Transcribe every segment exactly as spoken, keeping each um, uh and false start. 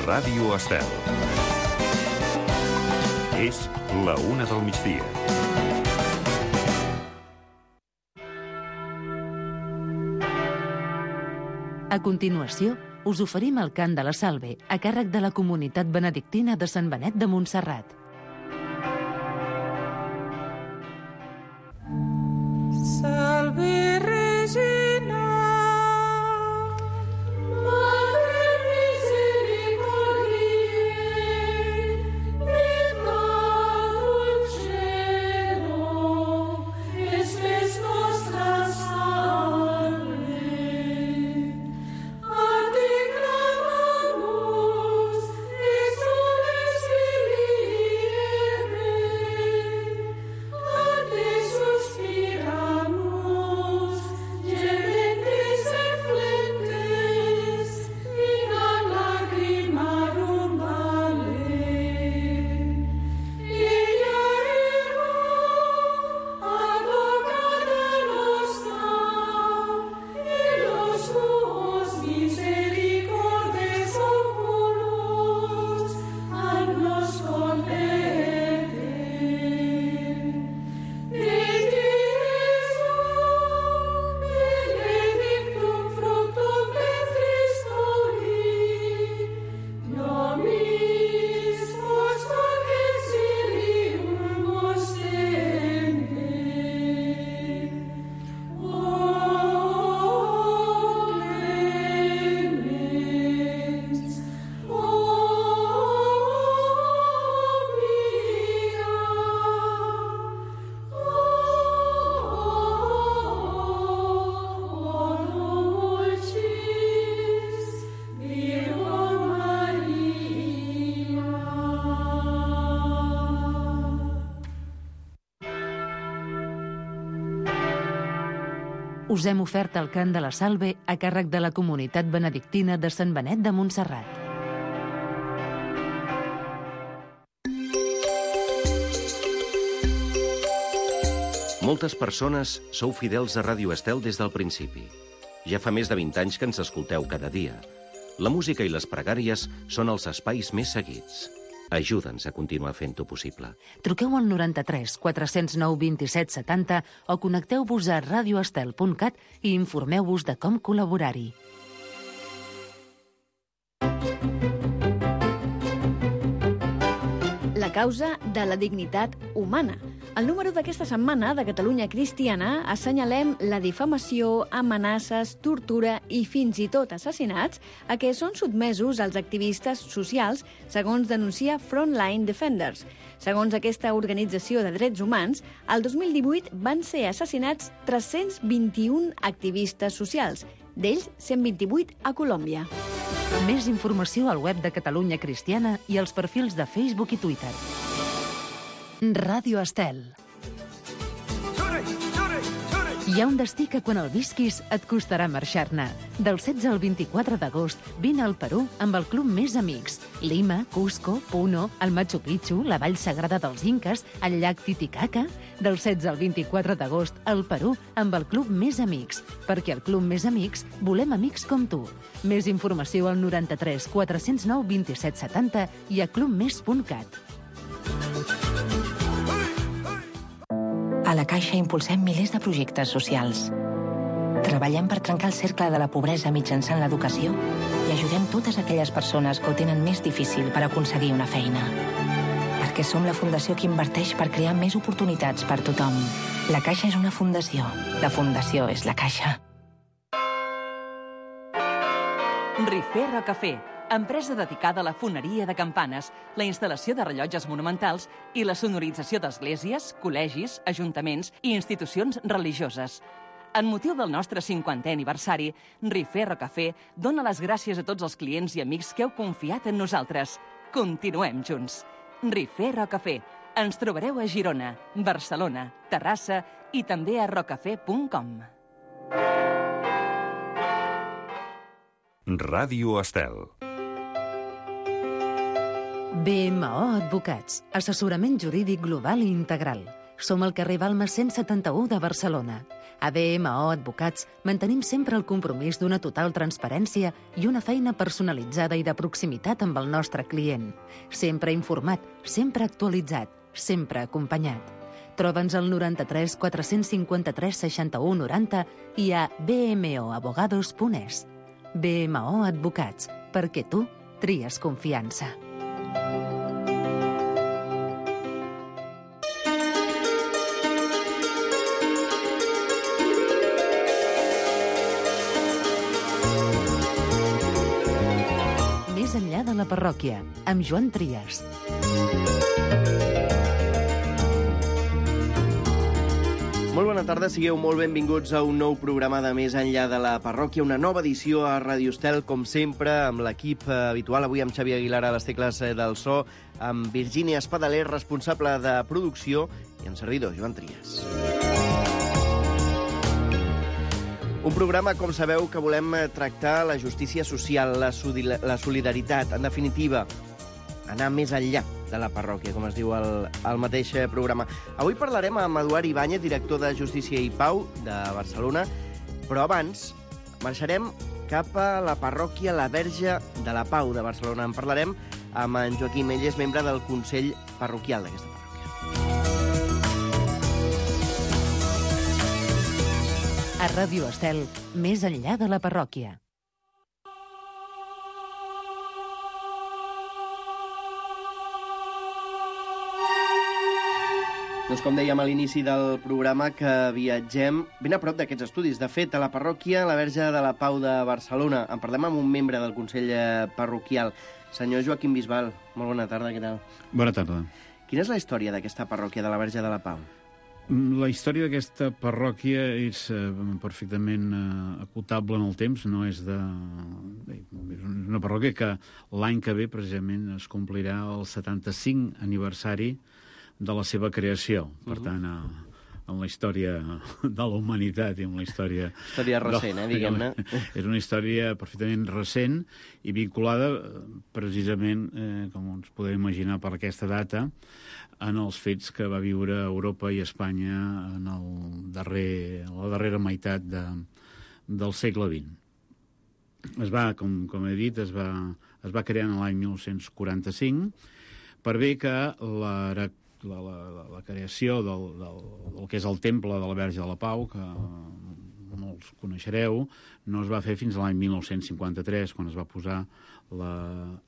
Ràdio Estel. És la una del migdia. A continuació, us oferim el cant de la Salve a càrrec de la comunitat benedictina de Sant Benet de Montserrat. Salve Regina, Madre misericordiae, vita dulcero, espes nostra salve. A te clamamus, exules filiere, a te suspiramus, gementes et flentes, in ad lacrimarum vale. Ella ego, advocata nostra, et los tuos misericordes oculos, ad nos converte. Et Jesum, benedictum fructum ventris tui, nobis post exilium ostende. O clemens, o pia, o dulcis Virgo Maria. Us hem ofert el cant de la Salve a càrrec de la comunitat benedictina de Sant Benet de Montserrat. Moltes persones sou fidels a Ràdio Estel des del principi. Ja fa més de vint anys que ens escolteu cada dia. La música i les pregàries són els espais més seguits. Ajuda'ns a continuar fent-ho possible. Truqueu al noranta-tres quatre zero nou vint-i-set setanta o connecteu-vos a radioestel punt cat i informeu-vos de com col·laborar-hi. La causa de la dignitat humana. Al número d'aquesta setmana de Catalunya Cristiana assenyalem la difamació, amenaces, tortura i fins i tot assassinats a què són sotmesos els activistes socials, segons denuncia Frontline Defenders. Segons aquesta organització de drets humans, el dos mil divuit van ser assassinats tres-cents vint-i-un activistes socials, d'ells cent vint-i-vuit a Colòmbia. Més informació al web de Catalunya Cristiana i als perfils de Facebook i Twitter. Ràdio Estel. Hi ha un destí que quan el visquis et costarà marxar-ne. Del setze al vint-i-quatre d'agost vine al Perú amb el club Més Amics. Lima, Cusco, Puno, el Machu Picchu, la Vall Sagrada dels Inques, el llac Titicaca. Del setze al vint-i-quatre d'agost al Perú amb el club Més Amics. Perquè al club Més Amics volem amics com tu. Més informació al noranta-tres quatre zero nou vint-i-set setanta i a clubmes punt cat. A la Caixa impulsem milers de projectes socials. Treballem per trencar el cercle de la pobresa mitjançant l'educació i ajudem totes aquelles persones que ho tenen més difícil per aconseguir una feina. Perquè som la fundació que inverteix per crear més oportunitats per tothom. La Caixa és una fundació. La fundació és la Caixa. Rifé Rocafé, empresa dedicada a la foneria de campanes, la instal·lació de rellotges monumentals i la sonorització d'esglésies, col·legis, ajuntaments i institucions religioses. En motiu del nostre cinquantè aniversari, Rifé Rocafé dona les gràcies a tots els clients i amics que heu confiat en nosaltres. Continuem junts. Rifé Rocafé. Ens trobareu a Girona, Barcelona, Terrassa i també a rocafé punt com. Ràdio Estel. B M O Advocats, assessorament jurídic global i integral. Som al carrer Balmes cent setanta-u de Barcelona. A B M O Advocats mantenim sempre el compromís d'una total transparència i una feina personalitzada i de proximitat amb el nostre client. Sempre informat, sempre actualitzat, sempre acompanyat. Troba'ns al noranta-tres quatre cinquanta-tres seixanta-u noranta i a b m o abogados punt es. B M O Advocats, perquè tu tries confiança. Més enllà de la parròquia, amb Joan Trias. Molt bona tarda, sigueu molt benvinguts a un nou programa de Més enllà de la parròquia, una nova edició a Ràdio Estel, com sempre, amb l'equip habitual, avui amb Xavi Aguilar a les tecles del so, amb Virgínia Espadaler, responsable de producció, i en servidor, Joan Trias. Un programa, com sabeu, que volem tractar la justícia social, la solidaritat, en definitiva, anar més enllà de la parròquia, com es diu el, el mateix programa. Avui parlarem amb Eduard Ibáñez, director de Justícia i Pau de Barcelona, però abans marxarem cap a la parròquia La Verge de la Pau de Barcelona. En parlarem amb en Joaquim, ell és membre del Consell Parroquial d'aquesta parròquia. A Ràdio Estel, més enllà de la parròquia. Doncs com dèiem a l'inici del programa, que viatgem ben a prop d'aquests estudis. De fet, a la parròquia La Verge de la Pau de Barcelona. En parlem amb un membre del Consell Parroquial, senyor Joaquim Bisbal. Molt bona tarda, què tal? Bona tarda. Quina és la història d'aquesta parròquia de la Verge de la Pau? La història d'aquesta parròquia és eh, perfectament eh, acotable en el temps, no és de... És una parròquia que l'any que ve, precisament, es complirà el setanta-cinc aniversari de la seva creació. Per uh-huh. tant, a, en la història de la humanitat i en la història... Història recent, de, eh, diguem-ne. És una història perfectament recent i vinculada, precisament, eh, com ens podem imaginar per aquesta data, en els fets que va viure Europa i Espanya en, el darrer, en la darrera meitat de, del segle vint. Es va, com, com he dit, es va, es va crear en l'any mil nou-cents quaranta-cinc per bé que la, la, la, la creació del, del, del que és el temple de la Verge de la Pau, que molts coneixereu, no es va fer fins a l'any mil nou-cents cinquanta-tres, quan es va posar la,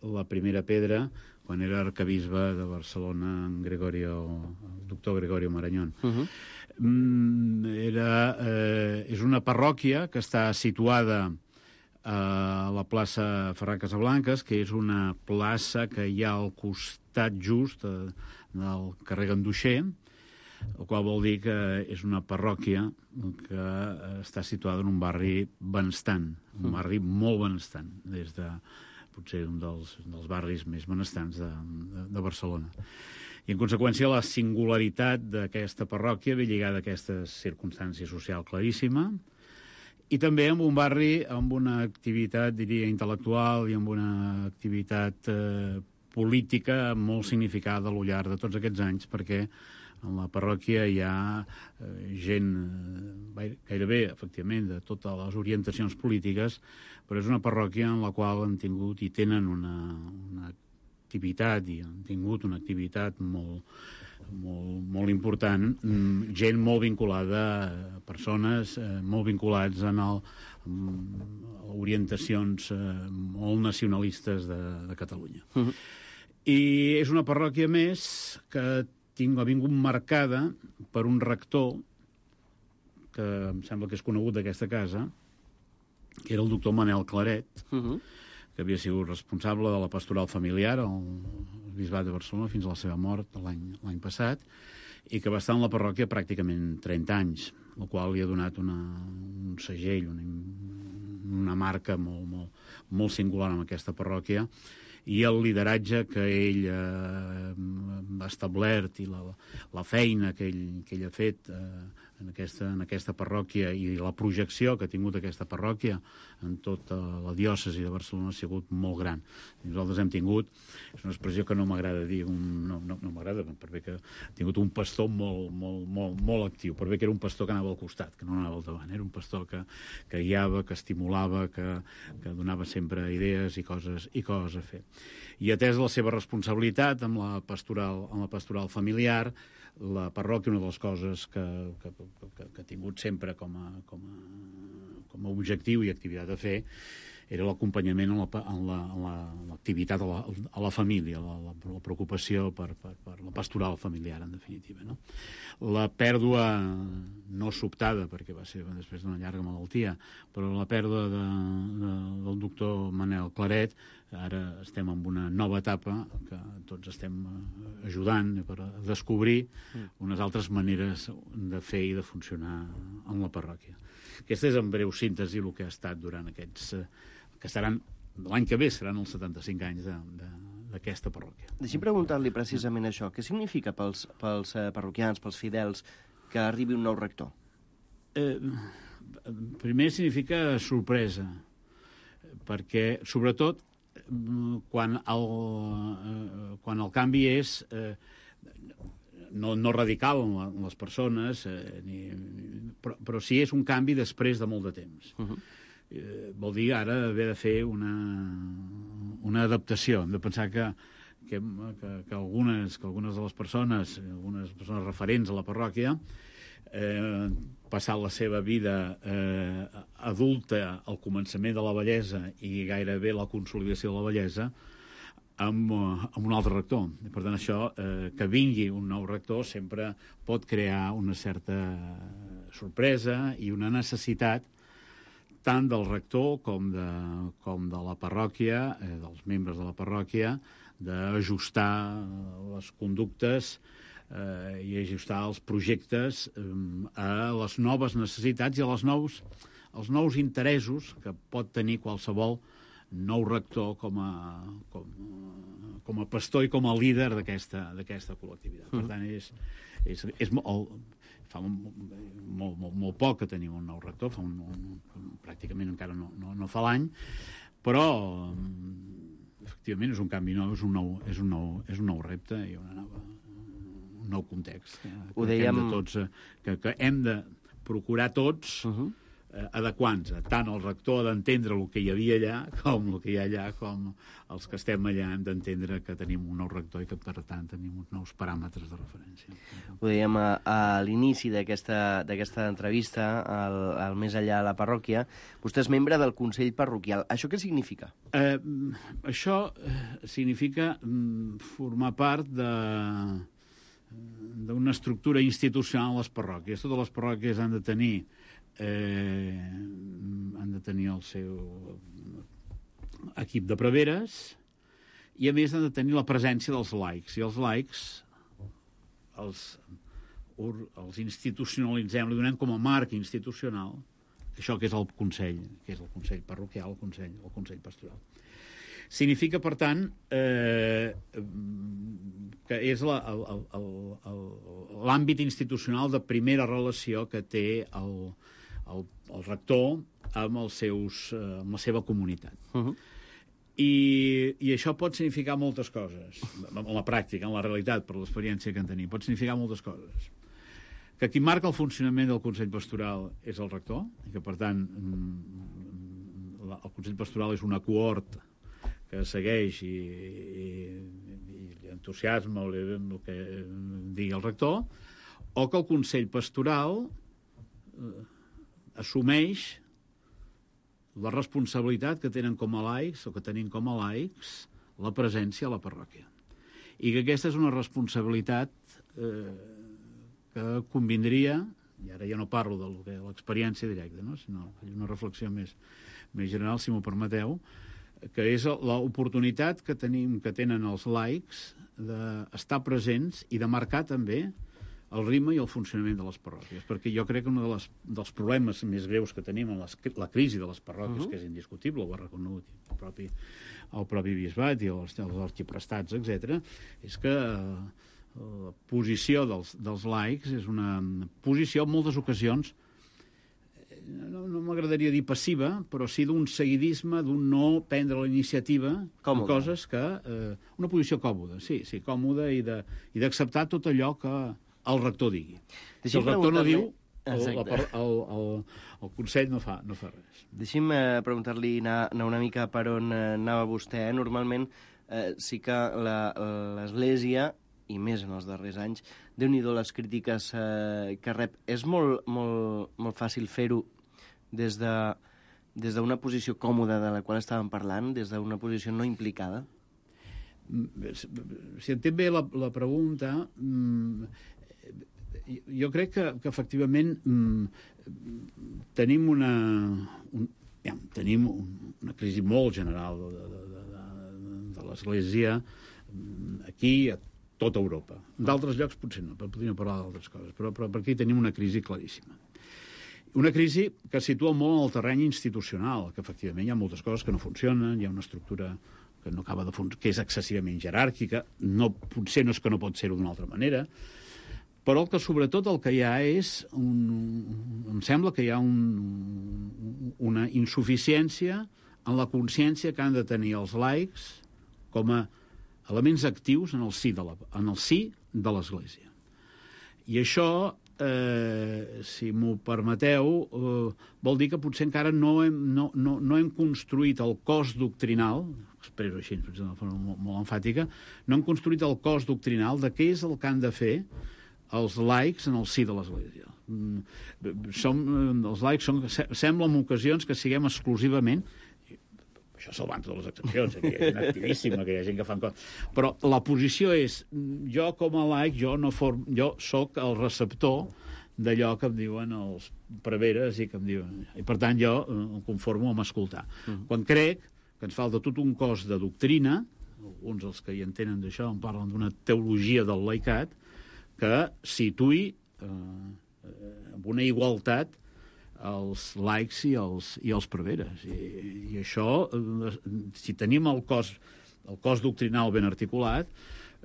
la primera pedra, quan era arcabisbe de Barcelona, en Gregorio, el doctor Gregorio Marañón. Uh-huh. Era, eh, és una parròquia que està situada a la plaça Ferran Casablancas, que és una plaça que hi ha al costat just eh, del carrer Ganduxer, el qual vol dir que és una parròquia que està situada en un barri benestant, un barri molt benestant, des de potser un dels, dels barris més benestants de, de, de Barcelona. I, en conseqüència, la singularitat d'aquesta parròquia ve lligada a aquesta circumstància social claríssima i també amb un barri amb una activitat, diria, intel·lectual i amb una activitat eh, política molt significada al llarg de tots aquests anys, perquè en la parròquia hi ha eh, gent eh, gairebé, efectivament, de totes les orientacions polítiques, però és una parròquia en la qual han tingut i tenen una, una activitat, i han tingut una activitat molt, molt, molt important, gent molt vinculada, persones eh, molt vinculats en el, en orientacions eh, molt nacionalistes de, de Catalunya. Uh-huh. I és una parròquia més que tinc, ha vingut marcada per un rector que em sembla que és conegut d'aquesta casa, que era el doctor Manel Claret, uh-huh. que havia sigut responsable de la pastoral familiar al Bisbat de Barcelona fins a la seva mort l'any passat, i que va estar en la parròquia pràcticament trenta anys, el qual li ha donat una, un segell, una, una marca molt, molt, molt singular en aquesta parròquia, i el lideratge que ell eh, ha establert i la, la feina que ell, que ell ha fet eh, en aquesta, en aquesta parròquia, i la projecció que ha tingut aquesta parròquia en tota la diòcesi de Barcelona ha sigut molt gran. Nosaltres hem tingut, és una expressió que no m'agrada dir, un, no, no, no m'agrada, per bé que ha tingut un pastor molt, molt, molt, molt actiu, per bé que era un pastor que anava al costat, que no anava al davant, era un pastor que, que guiava, que estimulava, que, que donava sempre idees i coses, i coses a fer. I atès la seva responsabilitat amb la pastoral, amb la pastoral familiar, la parròquia, una de les coses que, que, que, que ha tingut sempre com a, com a, com a objectiu i activitat a fer era l'acompanyament en l'activitat la, la, a, la, a la família, la, la, la preocupació per, per, per la pastoral familiar, en definitiva. No? La pèrdua, no sobtada, perquè va ser després d'una llarga malaltia, però la pèrdua de, de, del doctor Manel Claret, ara estem en una nova etapa que tots estem ajudant per descobrir unes altres maneres de fer i de funcionar en la parròquia. Aquesta és en breu síntesi el que ha estat durant aquests... que seran, l'any que ve seran els setanta-cinc anys d'aquesta parròquia. Deixi'm preguntar-li precisament això. Què significa pels, pels parroquians, pels fidels, que arribi un nou rector? Eh, primer significa sorpresa, perquè, sobretot, quan el, eh, quan el canvi és eh, no, no radical en les persones, eh, ni, però, però sí és un canvi després de molt de temps. Uh-huh. Eh, vol dir ara haver de fer una, una adaptació. Hem de pensar que, que, que, que, algunes, que algunes de les persones, algunes persones referents a la parròquia, eh, passat la seva vida eh, adulta al començament de la vellesa i gairebé la consolidació de la vellesa, amb, amb un altre rector. Per tant, això, eh, que vingui un nou rector sempre pot crear una certa sorpresa i una necessitat tant del rector com de, com de la parròquia, eh, dels membres de la parròquia, d'ajustar les conductes eh, i ajustar els projectes eh, a les noves necessitats i a les nous, als nous interessos que pot tenir qualsevol nou rector com a, com, com a pastor i com a líder d'aquesta d'aquesta col·lectivitat. Per tant, és, és, és molt, fa molt, molt, molt, molt poc que tenim un nou rector, fa un, un, pràcticament encara no, no, no fa l'any, però efectivament és un canvi nou, és un nou, és un nou, és un nou repte i una nova, un nou context. Que, Ho dèiem... que, hem de tots, que, que hem de procurar tots uh-huh. eh, adequant-se. Tant el rector ha d'entendre el que hi havia allà, com el que hi ha allà, com els que estem allà hem d'entendre que tenim un nou rector i que, per tant, tenim uns nous paràmetres de referència. Ho dèiem a, a l'inici d'aquesta d'aquesta entrevista, al, al Més Allà a la parròquia. Vostè és membre del Consell Parroquial. Això què significa? Eh, això significa formar part de d'una estructura institucional a les parròquies. Totes les parròquies han de tenir eh, han de tenir el seu equip de preveres i, a més, han de tenir la presència dels laics. I els laics els, els institucionalitzem, li donem com a marc institucional això que és el Consell, que és el Consell Parroquial, el Consell, el Consell Pastoral. Significa, per tant, eh, que és l'àmbit institucional de primera relació que té el, el, el rector amb, els seus, amb la seva comunitat. Uh-huh. I, I això pot significar moltes coses, en la pràctica, en la realitat, per l'experiència que en tenim. Pot significar moltes coses. Que qui marca el funcionament del Consell Pastoral és el rector, i que, per tant, el Consell Pastoral és una cohort que segueix i, i, i entusiasma el que digui el rector, o que el Consell Pastoral eh, assumeix la responsabilitat que tenen com a laics, o que tenim com a laics, la presència a la parròquia. I que aquesta és una responsabilitat eh, que convindria, i ara ja no parlo de l'experiència directa, no? Sinó una reflexió més, més general, si m'ho permeteu, que és l'oportunitat que tenim, que tenen els laics d'estar presents i de marcar també el ritme i el funcionament de les parròquies, perquè jo crec que un de les, dels problemes més greus que tenim en les, la crisi de les parròquies, uh-huh. que és indiscutible, ho ha reconegut el propi, el propi bisbat i els, els arxiprestats, etcètera, és que eh, la posició dels, dels laics és una posició, en moltes ocasions, no, no m'agradaria dir passiva, però sí d'un seguidisme, d'un no prendre la iniciativa de coses que... Eh, una posició còmoda, sí, sí, còmoda, i de, i d'acceptar tot allò que el rector digui. Si el rector no diu, el, el, el, el, el Consell no fa, no fa res. Deixi'm eh, preguntar-li anar, anar una mica per on eh, anava vostè. Eh? Normalment eh, sí que l'Església, i més en els darrers anys, déu-n'hi-do les crítiques eh, que rep. És molt, molt, molt fàcil fer-ho des de des d'una posició còmoda de la qual estàvem parlant, des d'una posició no implicada? Si entenc bé la, la pregunta, jo crec que, que efectivament tenim una, un, ja, tenim una crisi molt general de, de, de, de, de l'Església aquí, a tota Europa. D'altres llocs potser no, podríem parlar d'altres coses, però, però per aquí tenim una crisi claríssima. Una crisi que es situa molt en el terreny institucional, que efectivament hi ha moltes coses que no funcionen, hi ha una estructura que no acaba de funcionar, que és excessivament jeràrquica, no, potser no és que no pot ser-ho d'una altra manera, però que sobretot el que hi ha és, un, em sembla que hi ha un, una insuficiència en la consciència que han de tenir els laics com a elements actius en el si de la, en el si de l'Església. I això, eh, si m'ho permeteu, eh, vol dir que potser encara no hem, no, no, no hem construït el cos doctrinal, expresso així, de forma molt, molt enfàtica, no hem construït el cos doctrinal de què és el que han de fer els laics en el si de l'Església. Som, els laics són, sembla en ocasions que siguem exclusivament, això salvant totes les excepcions, que hi ha gent activíssima, que hi ha gent que fan coses, però la posició és, jo com a laic, jo, no form, jo soc el receptor d'allò que em diuen els preveres i que em diuen... I per tant jo em conformo amb escoltar. Uh-huh. Quan crec que ens falta tot un cos de doctrina, alguns dels que hi entenen d'això en parlen d'una teologia del laicat, que situï eh, amb una igualtat els laics i els, i els preveres. I, i això, eh, si tenim el cos, el cos doctrinal ben articulat,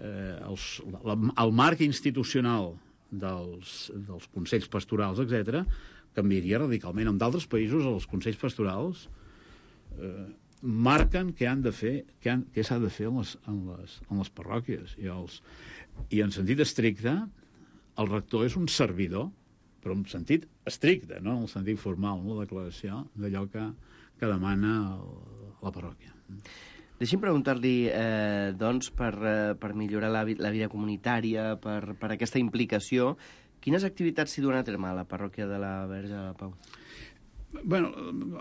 eh, els, la, el marc institucional dels, dels consells pastorals, etcètera, canviaria radicalment. En d'altres països, els consells pastorals eh, marquen què han de fer, què, han, què s'ha de fer en les, en les, en les parròquies. I, els, I en sentit estricte, el rector és un servidor, però en sentit estricte, no en el sentit formal, no? La declaració d'allò que, que demana el, la parròquia. Deixi'm preguntar-li, eh, doncs, per, eh, per millorar la, la vida comunitària, per, per aquesta implicació, quines activitats s'hi duen a terme a la parròquia de la Verge de la Pau? Bueno,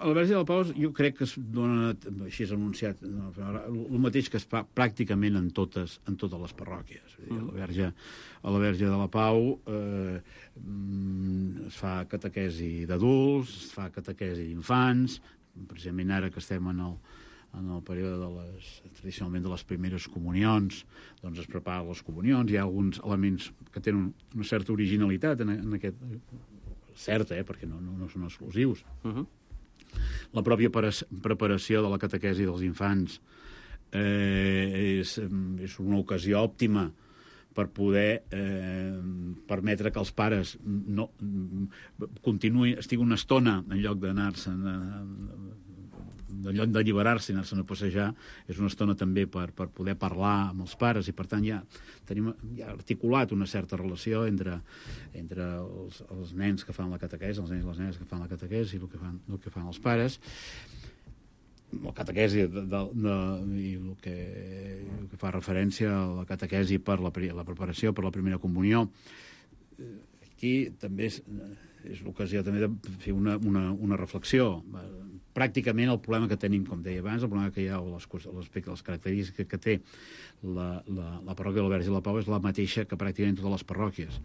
a la Verge de la Pau jo crec que es dona, així és anunciat, no, el mateix que es fa pràcticament en totes, en totes les parròquies. A la Verge, a la Verge de la Pau eh, es fa catequesi d'adults, es fa catequesi d'infants, precisament ara que estem en el, en el període de les, tradicionalment de les primeres comunions, doncs es preparen les comunions, hi ha alguns elements que tenen una certa originalitat en, en aquest... certa, eh, perquè no, no, no són exclusius. Uh-huh. La pròpia preparació de la catequesi dels infants eh, és, és una ocasió òptima per poder eh, permetre que els pares no, continuïn, estiguin una estona en lloc d'anar-se'n en lloc d'alliberar-se i anar-se'n a passejar, és una estona també per, per poder parlar amb els pares, i per tant ja tenim ja articulat una certa relació entre, entre els, els nens que fan la catequesi, els nens i les nenes que fan la catequesi i el que fan, el que fan els pares. La catequesi de, de, de, i el que, el que fa referència a la catequesi per la, la preparació per la primera comunió. Aquí també és, és l'ocasió també de fer una, una, una reflexió. Pràcticament el problema que tenim, com deia abans, el problema que hi ha, l'aspecte, les característiques que té la, la, la parròquia de la Verge de la Pau és la mateixa que pràcticament totes les parròquies,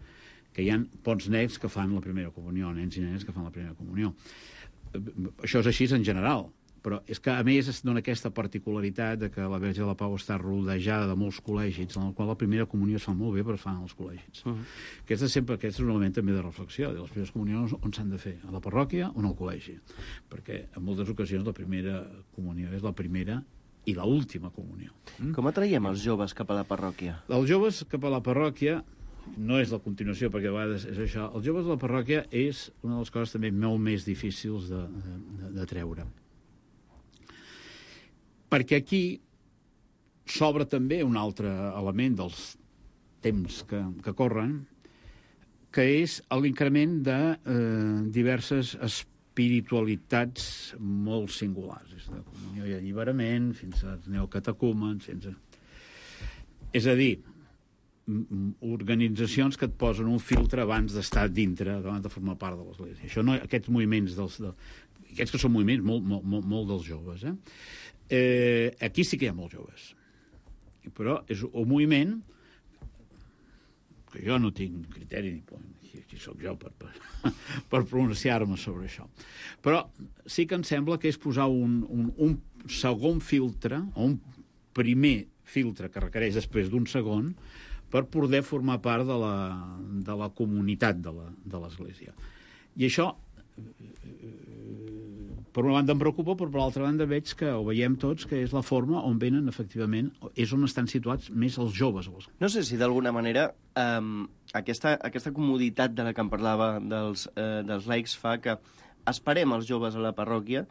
que hi ha pocs nens que fan la primera comunió, nens i nenes que fan la primera comunió. Això és així en general, però és que, a més, es dona aquesta particularitat de que la Verge de la Pau està rodejada de molts col·legis, en el qual la primera comunió es fa molt bé, però es fan als col·legis. Uh -huh. Aquest, és sempre, aquest és un element també de reflexió, de les primeres comunions on s'han de fer, a la parròquia o en el col·legi, perquè en moltes ocasions la primera comunió és la primera i l'última comunió. Com atraiem els joves cap a la parròquia? Els joves cap a la parròquia no és la continuació, perquè a vegades és això. Els joves de la parròquia és una de les coses també molt més difícils de, de, de treure. Perquè aquí s'obre també un altre element dels temps que, que corren, que és l'increment de eh, diverses espiritualitats molt singulars. És de comunió i alliberament, fins als neocatecúmens, fins a... És a dir, organitzacions que et posen un filtre abans d'estar dintre, abans de formar part de l'Església. Això no, aquests moviments, dels, de, aquests que són moviments molt, molt, molt, molt dels joves, eh? Eh, aquí sí que hi ha molts joves. Però és un moviment que jo no tinc criteri ni qui, qui sóc jo per, per, per pronunciar-me sobre això. Però sí que em sembla que és posar un, un, un segon filtre, o un primer filtre que requereix després d'un segon, per poder formar part de la, de la comunitat de l'Església. I això, per una banda em preocupa, però per l'altra banda veig que ho veiem tots, que és la forma on venen, efectivament, és on estan situats més els joves. No sé si d'alguna manera eh, aquesta, aquesta comoditat de la que em parlava dels, eh, dels laics fa que esperem els joves a la parròquia,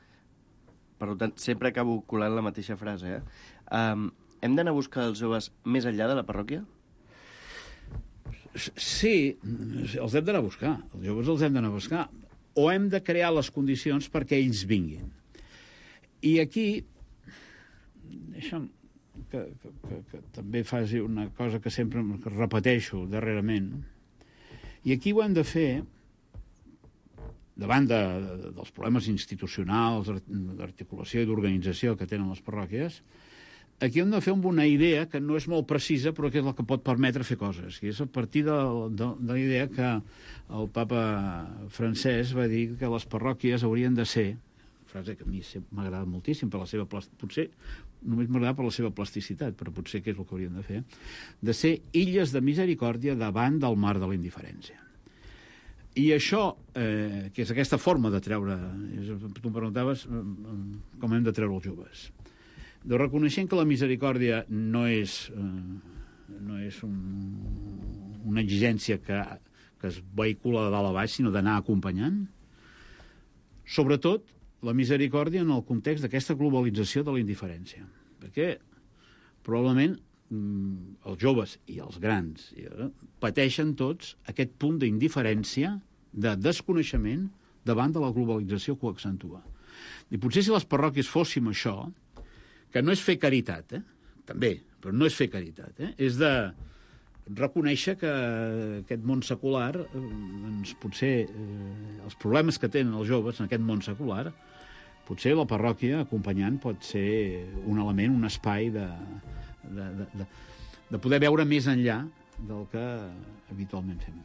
per tant, sempre acabo colant la mateixa frase, eh? Eh, hem d'anar a buscar els joves més enllà de la parròquia? Sí, els hem d'anar a buscar. Els joves els hem d'anar a buscar. O hem de crear les condicions perquè ells vinguin. I aquí, deixa'm que, que, que, que també faci una cosa que sempre repeteixo darrerament, i aquí ho hem de fer davant de, de, dels problemes institucionals, d'articulació i d'organització que tenen les parròquies. Aquí hem de fer amb una idea que no és molt precisa, però que és la que pot permetre fer coses. I és a partir de, de, de la idea que el papa francès va dir que les parròquies haurien de ser, frase que a mi m'agrada moltíssim, per la seva potser només m'agrada per la seva plasticitat, però potser que és el que haurien de fer, de ser illes de misericòrdia davant del mar de la indiferència. I això, eh, que és aquesta forma de treure, és, tu em preguntaves com hem de treure els joves. De reconeixent que la misericòrdia no és, eh, no és un, una exigència que, que es vehicula de dalt a baix, sinó d'anar acompanyant. Sobretot, la misericòrdia en el context d'aquesta globalització de la indiferència. Perquè, probablement, els joves i els grans eh, pateixen tots aquest punt d'indiferència, de desconeixement, davant de la globalització que ho accentua. I potser si les parròquies fóssim això, que no és fer caritat, eh? També, però no és fer caritat, eh? És de reconèixer que aquest món secular, eh, doncs potser eh, els problemes que tenen els joves en aquest món secular, potser la parròquia acompanyant pot ser un element, un espai de, de, de, de, de poder veure més enllà del que habitualment fem.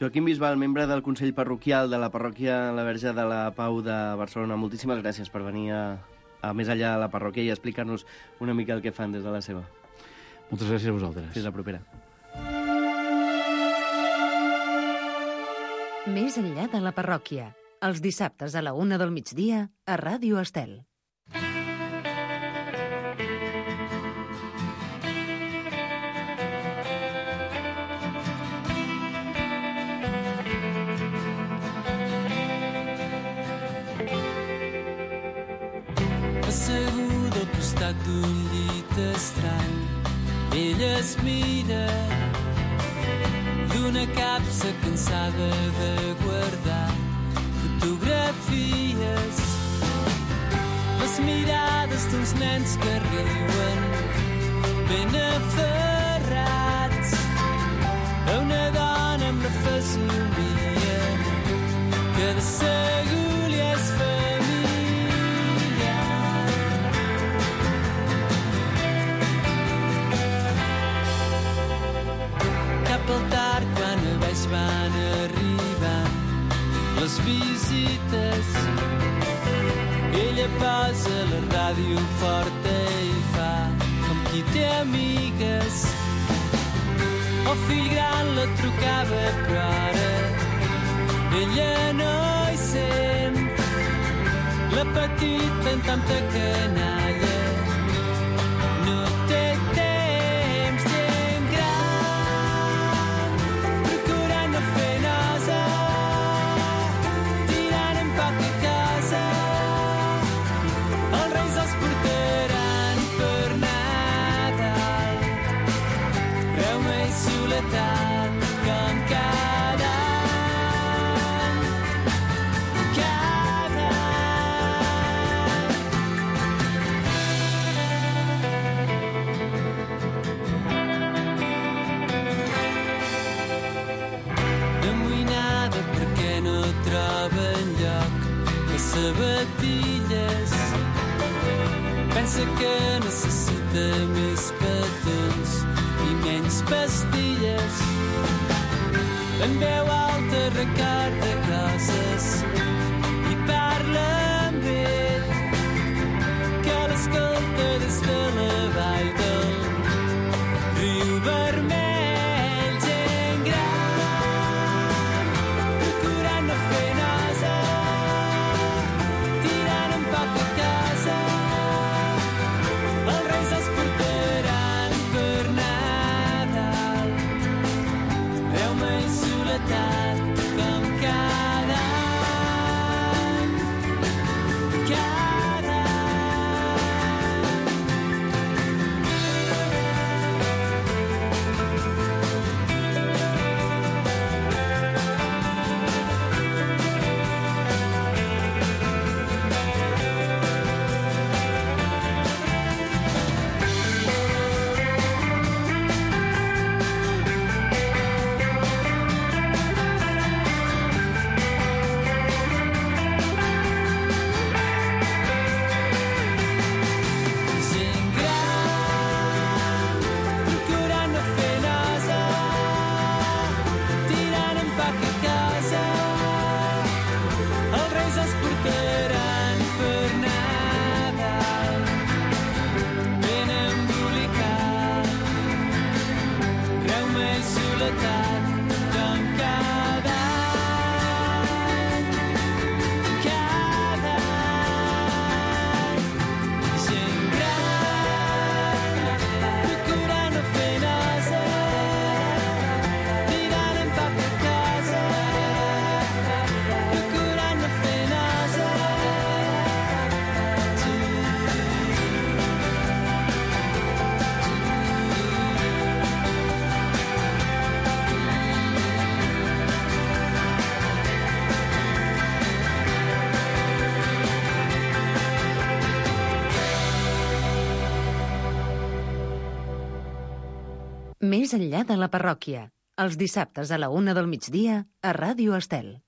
Joaquim Bisbal, membre del Consell Parroquial de la Parròquia La Verge de la Pau de Barcelona, moltíssimes gràcies per venir a a més enllà de la parròquia i explicar-nos una mica el que fan des de la seva. Moltes gràcies a vosaltres. Fins la propera. Més enllà de la parròquia. Els dissabtes a la una del migdia a Ràdio Estel. Assegut al costat d'un llit estrany, ella es mira d'una capsa cansada de guardar fotografies, les mirades d'uns nens que riuen ben aferrats a una dona amb la fesomia que de segur li és familiar. Al tard quan a baix van arribant les visites, ella posa la ràdio forta i fa com qui té amigues. El fill gran la trucava però ara ella no hi sent. La petita en tanta canalla pensa que necessita més petons i menys pastilles. En veu alta recorda coses i parla amb ell, que l'escolta des de la vall del riu vermell. Gent gran, procurant no fer nosa, tirant en poc a casa. Els reis els portaran per Nadal. Veu-me i soledat com cada any, cada any. Gent gran, procurant no fer nosa, tirant en poc a casa. Els reis els portaran per Nadal, ben embolicat. Reu-me i soledat com cada any, cada any. Gent gran, procurant no fer nosa, tirant en poc a casa. Procurant no fer nosa. Més enllà de la parròquia. Els dissabtes a la una del migdia a Ràdio Estel.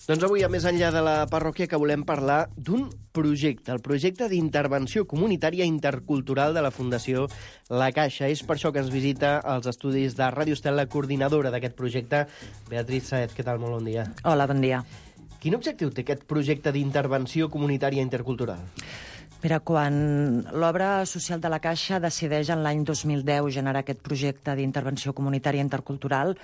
Doncs avui, a més enllà de la parròquia, que volem parlar d'un projecte, el projecte d'intervenció comunitària intercultural de la Fundació La Caixa. És per això que ens visita als estudis de Ràdio Estel la coordinadora d'aquest projecte, Beatriz Saez. Què tal? Molt bon dia. Hola, bon dia. Quin objectiu té aquest projecte d'intervenció comunitària intercultural? Mira, quan l'obra social de la Caixa decideix en l'any dos mil deu generar aquest projecte d'intervenció comunitària intercultural,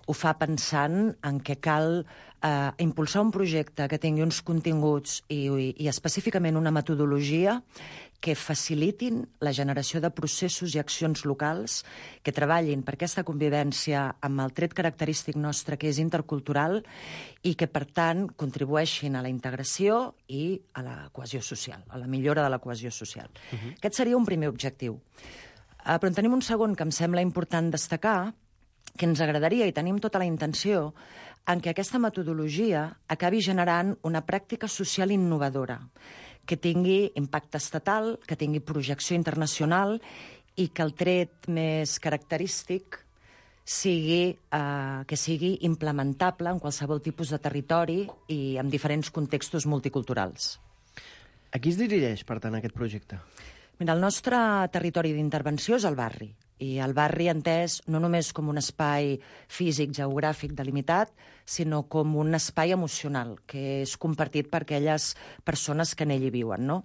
ho fa pensant en què cal eh, impulsar un projecte que tingui uns continguts i, i, i específicament una metodologia que facilitin la generació de processos i accions locals que treballin per aquesta convivència amb el tret característic nostre, que és intercultural, i que, per tant, contribueixin a la integració i a la cohesió social, a la millora de la cohesió social. Uh-huh. Aquest seria un primer objectiu. Uh, però en tenim un segon que em sembla important destacar, que ens agradaria, i tenim tota la intenció, en què aquesta metodologia acabi generant una pràctica social innovadora, que tingui impacte estatal, que tingui projecció internacional i que el tret més característic sigui, eh, que sigui implementable en qualsevol tipus de territori i en diferents contextos multiculturals. A qui es dirigeix, per tant, aquest projecte? Mira, el nostre territori d'intervenció és el barri, i el barri entès no només com un espai físic, geogràfic, delimitat, sinó com un espai emocional, que és compartit per aquelles persones que en ell hi viuen, no?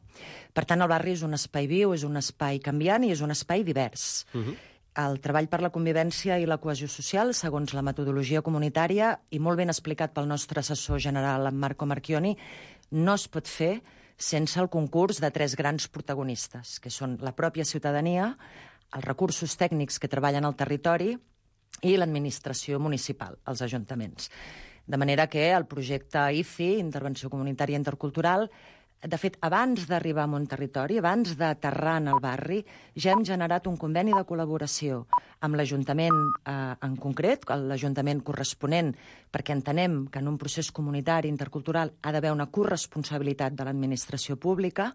Per tant, el barri és un espai viu, és un espai canviant i és un espai divers. Uh-huh. El treball per la convivència i la cohesió social, segons la metodologia comunitària, i molt ben explicat pel nostre assessor general, en Marco Marchioni, no es pot fer sense el concurs de tres grans protagonistes, que són la pròpia ciutadania, els recursos tècnics que treballen al territori i l'administració municipal, els ajuntaments. De manera que el projecte I C I, Intervenció Comunitària Intercultural, de fet, abans d'arribar a un territori, abans d'aterrar en el barri, ja hem generat un conveni de col·laboració amb l'Ajuntament eh, en concret, l'Ajuntament corresponent, perquè entenem que en un procés comunitari intercultural ha d'haver una corresponsabilitat de l'administració pública,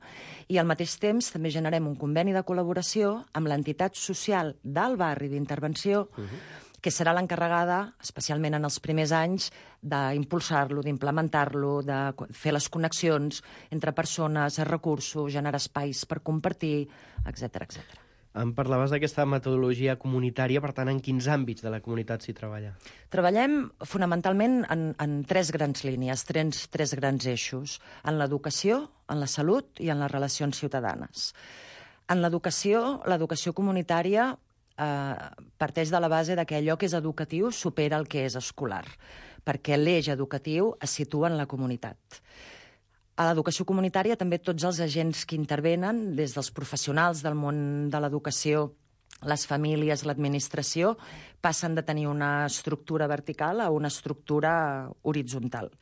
i al mateix temps també generem un conveni de col·laboració amb l'entitat social del barri d'intervenció, uh-huh. que serà l'encarregada, especialment en els primers anys, d'impulsar-lo, d'implementar-lo, de fer les connexions entre persones, recursos, generar espais per compartir, etcètera, etcètera. Em parlaves d'aquesta metodologia comunitària, per tant, en quins àmbits de la comunitat s'hi treballa? Treballem fonamentalment en, en tres grans línies, tres, tres grans eixos, en l'educació, en la salut i en les relacions ciutadanes. En l'educació, l'educació comunitària eh, parteix de la base de que allò que és educatiu supera el que és escolar, perquè l'eix educatiu es situa en la comunitat. A l'educació comunitària també tots els agents que intervenen, des dels professionals del món de l'educació, les famílies, l'administració, passen de tenir una estructura vertical a una estructura horitzontal.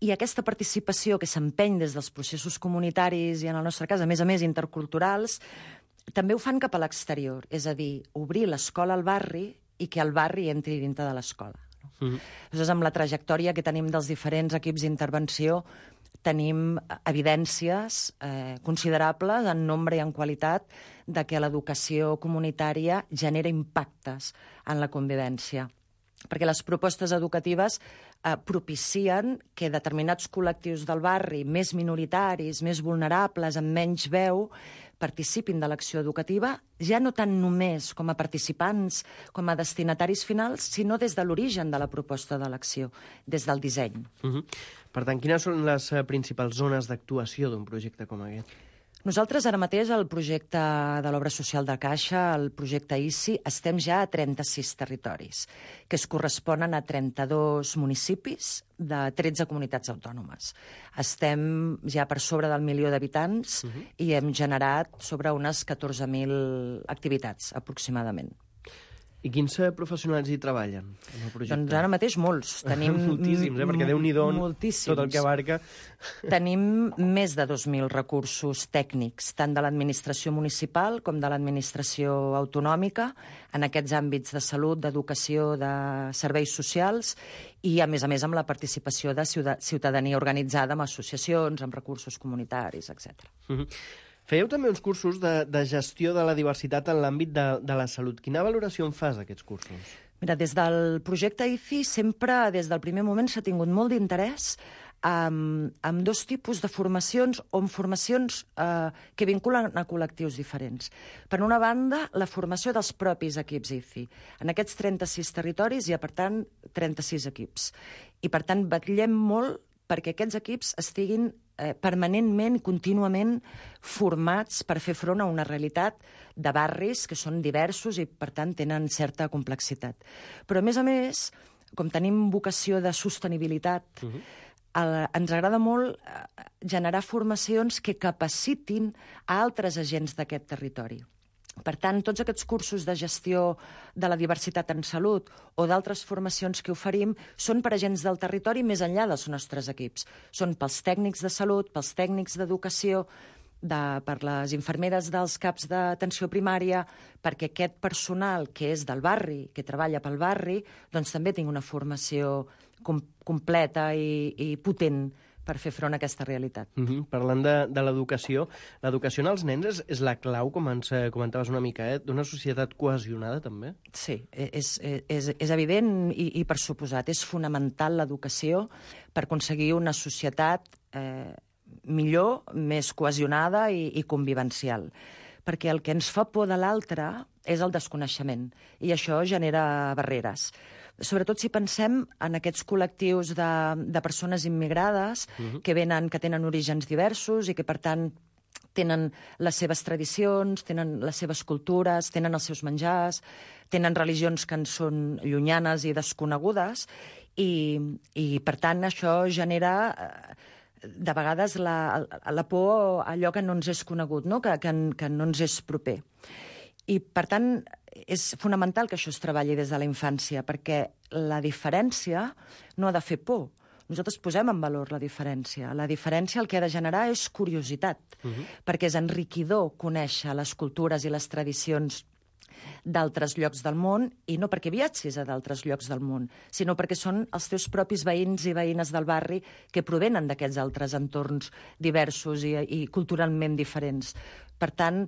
I aquesta participació que s'empeny des dels processos comunitaris i, en el nostre cas, a més a més, interculturals, també ho fan cap a l'exterior, és a dir, obrir l'escola al barri i que el barri entri dintre de l'escola. Mm-hmm. Llavors, amb la trajectòria que tenim dels diferents equips d'intervenció, tenim evidències eh, considerables en nombre i en qualitat de que l'educació comunitària genera impactes en la convivència. Perquè les propostes educatives eh, propicien que determinats col·lectius del barri, més minoritaris, més vulnerables, amb menys veu, participin de l'acció educativa, ja no tant només com a participants, com a destinataris finals, sinó des de l'origen de la proposta de l'acció, des del disseny. Uh-huh. Per tant, quines són les principals zones d'actuació d'un projecte com aquest? Nosaltres ara mateix, el projecte de l'Obra Social de Caixa, el projecte I C I, estem ja a trenta-sis territoris, que es corresponen a trenta-dos municipis de tretze comunitats autònomes. Estem ja per sobre del milió d'habitants uh-huh. i hem generat sobre unes catorze mil activitats, aproximadament. I quins professionals hi treballen en el projecte? Doncs ara mateix molts. Tenim moltíssims, eh? Perquè Déu-n'hi-do moltíssims. Tot el que abarca. Tenim més de dos mil recursos tècnics, tant de l'administració municipal com de l'administració autonòmica, en aquests àmbits de salut, d'educació, de serveis socials, i, a més a més, amb la participació de ciutadania organitzada, amb associacions, amb recursos comunitaris, etcètera. Mm-hmm. Fèieu també uns cursos de, de gestió de la diversitat en l'àmbit de, de la salut. Quina valoració en fas d'aquests cursos? Mira, des del projecte I C I sempre, des del primer moment, s'ha tingut molt d'interès amb, amb dos tipus de formacions o amb formacions eh, que vinculen a col·lectius diferents. Per una banda, la formació dels propis equips I C I. En aquests trenta-sis territoris hi ha, per tant, trenta-sis equips. I, per tant, vetllem molt perquè aquests equips estiguin eh, permanentment, contínuament formats per fer front a una realitat de barris que són diversos i, per tant, tenen certa complexitat. Però, a més a més, com tenim vocació de sostenibilitat, uh-huh. el, ens agrada molt eh, generar formacions que capacitin a altres agents d'aquest territori. Per tant, tots aquests cursos de gestió de la diversitat en salut o d'altres formacions que oferim són per agents del territori més enllà dels nostres equips. Són pels tècnics de salut, pels tècnics d'educació, de, per les infermeres dels caps d'atenció primària, perquè aquest personal que és del barri, que treballa pel barri, doncs també tingui una formació com, completa i, i potent per fer front a aquesta realitat. Mm-hmm. Parlant de, de l'educació, l'educació en els nens és, és la clau, com ens comentaves una mica, eh? D'una societat cohesionada, també? Sí, és, és, és evident i, i per suposat. És fonamental l'educació per aconseguir una societat eh, millor, més cohesionada i, i convivencial. Perquè el que ens fa por de l'altre és el desconeixement, i això genera barreres. Sobretot si pensem en aquests col·lectius de, de persones immigrades uh-huh. que venen, que tenen orígens diversos i que, per tant, tenen les seves tradicions, tenen les seves cultures, tenen els seus menjars, tenen religions que en són llunyanes i desconegudes, i, i per tant, això genera de vegades la, la por a allò que no ens és conegut, no? Que, que, que no ens és proper. I, per tant, és fonamental que això es treballi des de la infància, perquè la diferència no ha de fer por. Nosaltres posem en valor la diferència. La diferència el que ha de generar és curiositat, uh-huh. perquè és enriquidor conèixer les cultures i les tradicions d'altres llocs del món, i no perquè viatgis a d'altres llocs del món, sinó perquè són els teus propis veïns i veïnes del barri que provenen d'aquests altres entorns diversos i, i culturalment diferents. Per tant,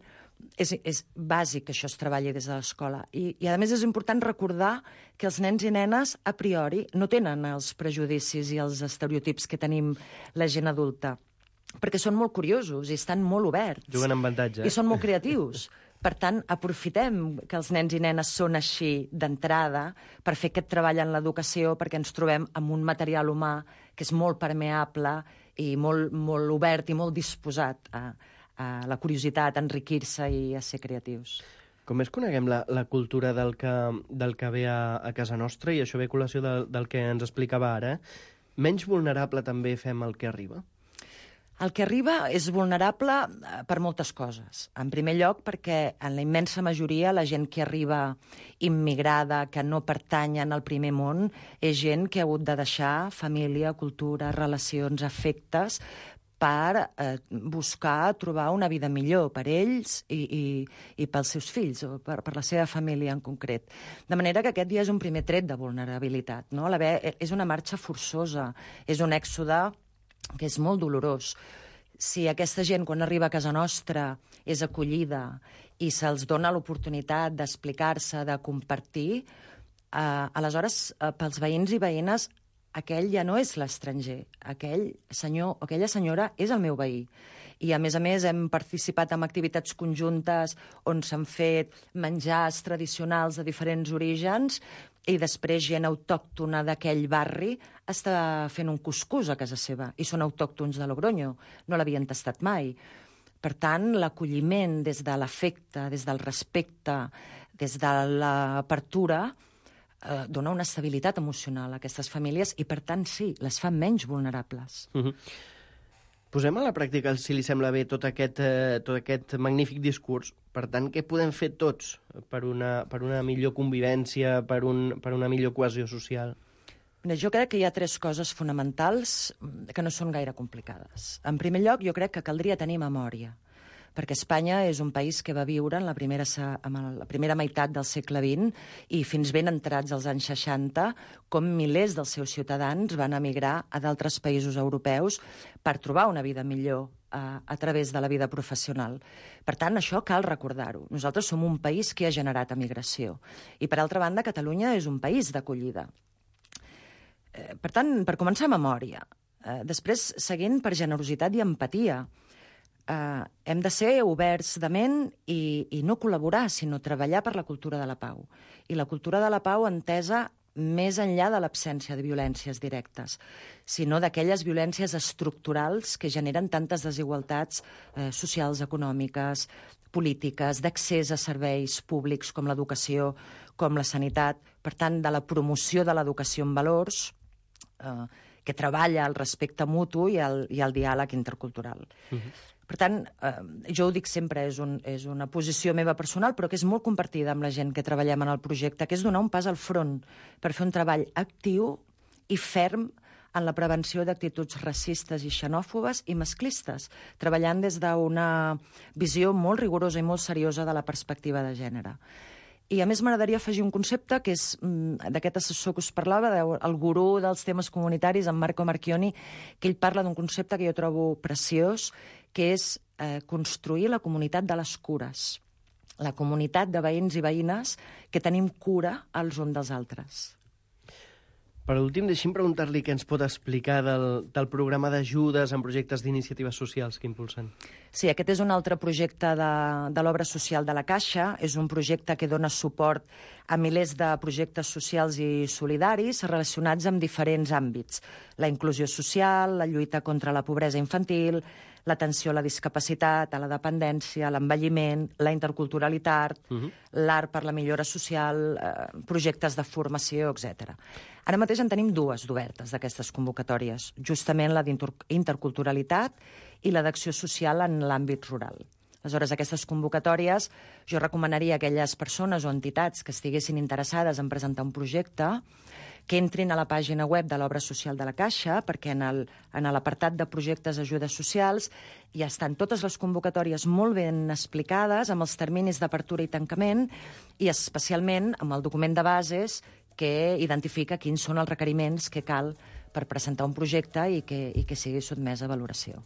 és, és bàsic que això es treballi des de l'escola. I, I, a més, és important recordar que els nens i nenes, a priori, no tenen els prejudicis i els estereotips que tenim la gent adulta, perquè són molt curiosos i estan molt oberts. Juguen amb avantatge. I són molt creatius. Per tant, aprofitem que els nens i nenes són així d'entrada per fer aquest treball en l'educació, perquè ens trobem amb un material humà que és molt permeable i molt, molt obert i molt disposat a, a la curiositat, a enriquir-se i a ser creatius. Com més coneguem la, la cultura del que, del que ve a, a casa nostra, i això ve a col·lació del, del que ens explicava ara, menys vulnerable també fem el que arriba? El que arriba és vulnerable per moltes coses. En primer lloc, perquè en la immensa majoria la gent que arriba immigrada, que no pertanyen al primer món, és gent que ha hagut de deixar família, cultura, relacions, afectes, per eh, buscar trobar una vida millor per ells i, i, i pels seus fills, o per, per la seva família en concret. De manera que aquest ja és un primer tret de vulnerabilitat, no? La ve, és una marxa forçosa, és un èxode que és molt dolorós. Si aquesta gent, quan arriba a casa nostra, és acollida i se'ls dona l'oportunitat d'explicar-se, de compartir, eh, aleshores, eh, pels veïns i veïnes, aquell ja no és l'estranger. Aquell senyor o aquella senyora és el meu veí. I, a més a més, hem participat en activitats conjuntes on s'han fet menjars tradicionals de diferents orígens, i després gent autòctona d'aquell barri està fent un cuscús a casa seva, i són autòctons de Logroño, no l'havien tastat mai. Per tant, l'acolliment des de l'afecte, des del respecte, des de l'apertura, eh, dona una estabilitat emocional a aquestes famílies i, per tant, sí, les fa menys vulnerables. Uh-huh. Posem a la pràctica, si li sembla bé, tot aquest, eh, tot aquest magnífic discurs. Per tant, què podem fer tots per una, per una millor convivència, per, un, per una millor cohesió social? Mira, jo crec que hi ha tres coses fonamentals que no són gaire complicades. En primer lloc, jo crec que caldria tenir memòria, perquè Espanya és un país que va viure en la primera, en la primera meitat del segle vint i fins ben entrats als anys seixanta, com milers dels seus ciutadans van emigrar a d'altres països europeus per trobar una vida millor a, a través de la vida professional. Per tant, això cal recordar-ho. Nosaltres som un país que ha generat emigració. I, per altra banda, Catalunya és un país d'acollida. Eh, per tant, per començar, memòria. Eh, després, seguint per generositat i empatia. Uh, hem de ser oberts de ment i, i no col·laborar, sinó treballar per la cultura de la pau. I la cultura de la pau entesa més enllà de l'absència de violències directes, sinó d'aquelles violències estructurals que generen tantes desigualtats eh, socials, econòmiques, polítiques, d'accés a serveis públics com l'educació, com la sanitat. Per tant, de la promoció de l'educació en valors, eh, que treballa el respecte mutu i el, i el diàleg intercultural. Uh-huh. Per tant, eh, jo ho dic sempre, és, un, és una posició meva personal, però que és molt compartida amb la gent que treballem en el projecte, que és donar un pas al front per fer un treball actiu i ferm en la prevenció d'actituds racistes i xenòfobes i masclistes, treballant des d'una visió molt rigorosa i molt seriosa de la perspectiva de gènere. I, a més, m'agradaria afegir un concepte que és d'aquest assessor que us parlava, el gurú dels temes comunitaris, en Marco Marchioni, que ell parla d'un concepte que jo trobo preciós, que és eh, construir la comunitat de les cures, la comunitat de veïns i veïnes que tenim cura els uns dels altres. Per últim, deixi'm preguntar-li què ens pot explicar del, del programa d'ajudes en projectes d'iniciatives socials que impulsen. Sí, aquest és un altre projecte de, de l'obra social de la Caixa. És un projecte que dona suport a milers de projectes socials i solidaris relacionats amb diferents àmbits. La inclusió social, la lluita contra la pobresa infantil, l'atenció a la discapacitat, a la dependència, a l'envelliment, la interculturalitat, uh-huh. l'art per la millora social, eh, projectes de formació, etcètera. Ara mateix en tenim dues d'obertes d'aquestes convocatòries, justament la d'interculturalitat i la d'acció social en l'àmbit rural. Aleshores, aquestes convocatòries, jo recomanaria a aquelles persones o entitats que estiguessin interessades en presentar un projecte que entrin a la pàgina web de l'Obra Social de la Caixa, perquè en el, en l'apartat de projectes d'ajudes socials ja estan totes les convocatòries molt ben explicades, amb els terminis d'apertura i tancament, i especialment amb el document de bases que identifica quins són els requeriments que cal per presentar un projecte i que, i que sigui sotmès a valoració.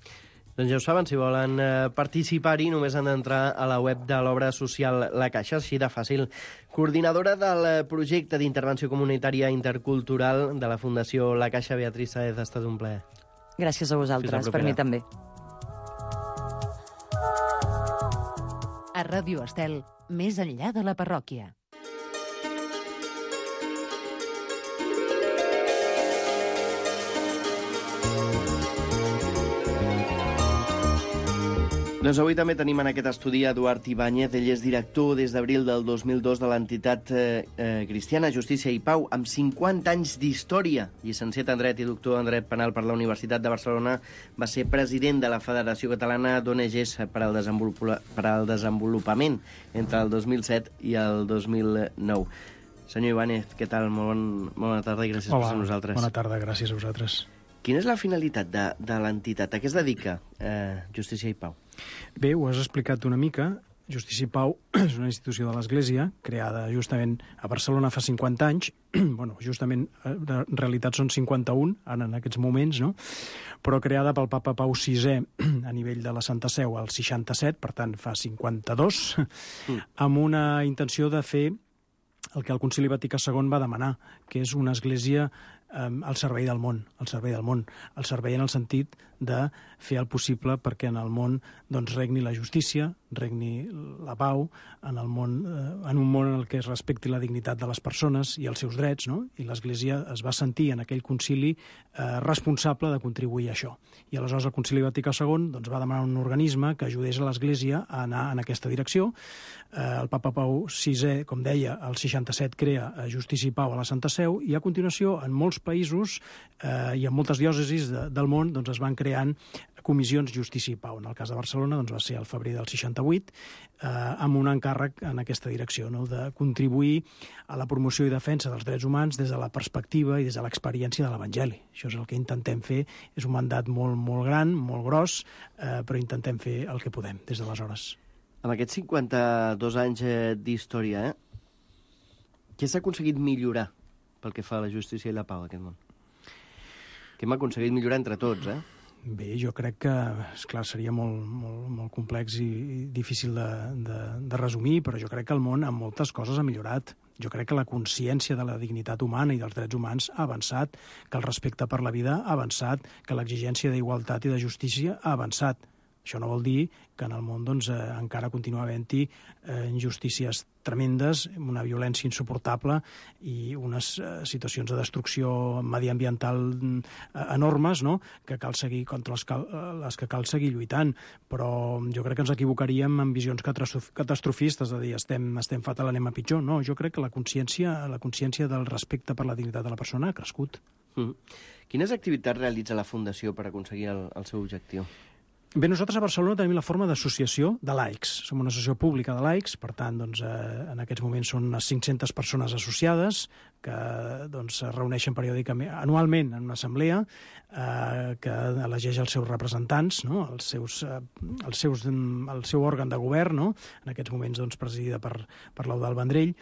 Doncs ja ho saben, si volen eh, participar-hi només han d'entrar a la web de l'obra social La Caixa, així de fàcil. Coordinadora del projecte d'intervenció comunitària intercultural de la Fundació La Caixa, Beatriz Sáez, ha estat un plaer. Gràcies a vosaltres, per mi també. A Ràdio Estel, més enllà de la parròquia. Doncs avui també tenim en aquest estudi Eduard Ibáñez. Ell és director des d'abril del dos mil dos de l'entitat eh, eh, cristiana Justícia i Pau, amb cinquanta anys d'història. Llicenciat en Dret i doctor en Dret Penal per la Universitat de Barcelona, va ser president de la Federació Catalana d'O N Ges per al, per al Desenvolupament entre el dos mil set i el dos mil nou. Senyor Ibáñez, què tal? Molt, bon, molt bona tarda i gràcies Hola, per ser nosaltres. Bona tarda, gràcies a vosaltres. Quina és la finalitat de, de l'entitat? A què es dedica eh, Justícia i Pau? Bé, ho has explicat una mica. Justícia i Pau és una institució de l'Església, creada justament a Barcelona fa cinquanta anys. bueno, justament, en realitat són cinquanta-un, ara en aquests moments, no? Però creada pel papa Pau sisè a nivell de la Santa Seu al seixanta-set, per tant fa cinquanta-dos, mm. amb una intenció de fer el que el Concili Vaticà segon va demanar, que és una església eh, al servei del món, al servei del món, al servei en el sentit de fer el possible perquè en el món doncs, regni la justícia, regni la pau, en, el món, eh, en un món en el que es respecti la dignitat de les persones i els seus drets, no? I l'Església es va sentir en aquell concili eh, responsable de contribuir a això. I aleshores el Concili Vaticà segon doncs, va demanar un organisme que ajudés a l'Església a anar en aquesta direcció. Eh, el papa Pau sisè, com deia, al seixanta-set crea Justícia i Pau a la Santa Seu i a continuació en molts països eh, i en moltes diòcesis de, del món doncs, es van creant comissions Justícia i Pau. En el cas de Barcelona doncs, va ser al febrer del seixanta-vuit eh, amb un encàrrec en aquesta direcció, no? De contribuir a la promoció i defensa dels drets humans des de la perspectiva i des de l'experiència de l'Evangeli. Això és el que intentem fer. És un mandat molt, molt gran, molt gros, eh, però intentem fer el que podem des d'aleshores. Amb aquests cinquanta-dos anys eh, d'història, eh, què s'ha aconseguit millorar pel que fa a la justícia i la pau d'aquest món? Què hem aconseguit millorar entre tots, eh? Bé, jo crec que, esclar, seria molt, molt, molt complex i, i difícil de, de, de resumir, però jo crec que el món en moltes coses ha millorat. Jo crec que la consciència de la dignitat humana i dels drets humans ha avançat, que el respecte per la vida ha avançat, que l'exigència d'igualtat i de justícia ha avançat. Això no vol dir que en el món doncs, eh, encara continua havent-hi eh, injustícies tremendes, una violència insuportable i unes eh, situacions de destrucció mediambiental eh, enormes, no? Que cal seguir contra les, cal, les que cal seguir lluitant. Però jo crec que ens equivocaríem en visions catastrofistes, de dir estem, estem fatal, anem a pitjor. No, jo crec que la consciència, la consciència del respecte per la dignitat de la persona ha crescut. Mm. Quines activitats realitza la Fundació per aconseguir el, el seu objectiu? Bé, nosaltres a Barcelona tenim la forma d'associació de laics. Som una associació pública de laics, per tant, doncs, eh, en aquests moments són unes cinc-centes persones associades que doncs, es reuneixen periòdicament, anualment, en una assemblea eh, que elegeix els seus representants, no? els seus, eh, els seus, el seu òrgan de govern, no? En aquests moments doncs, presidida per, per l'Eudald Vendrell,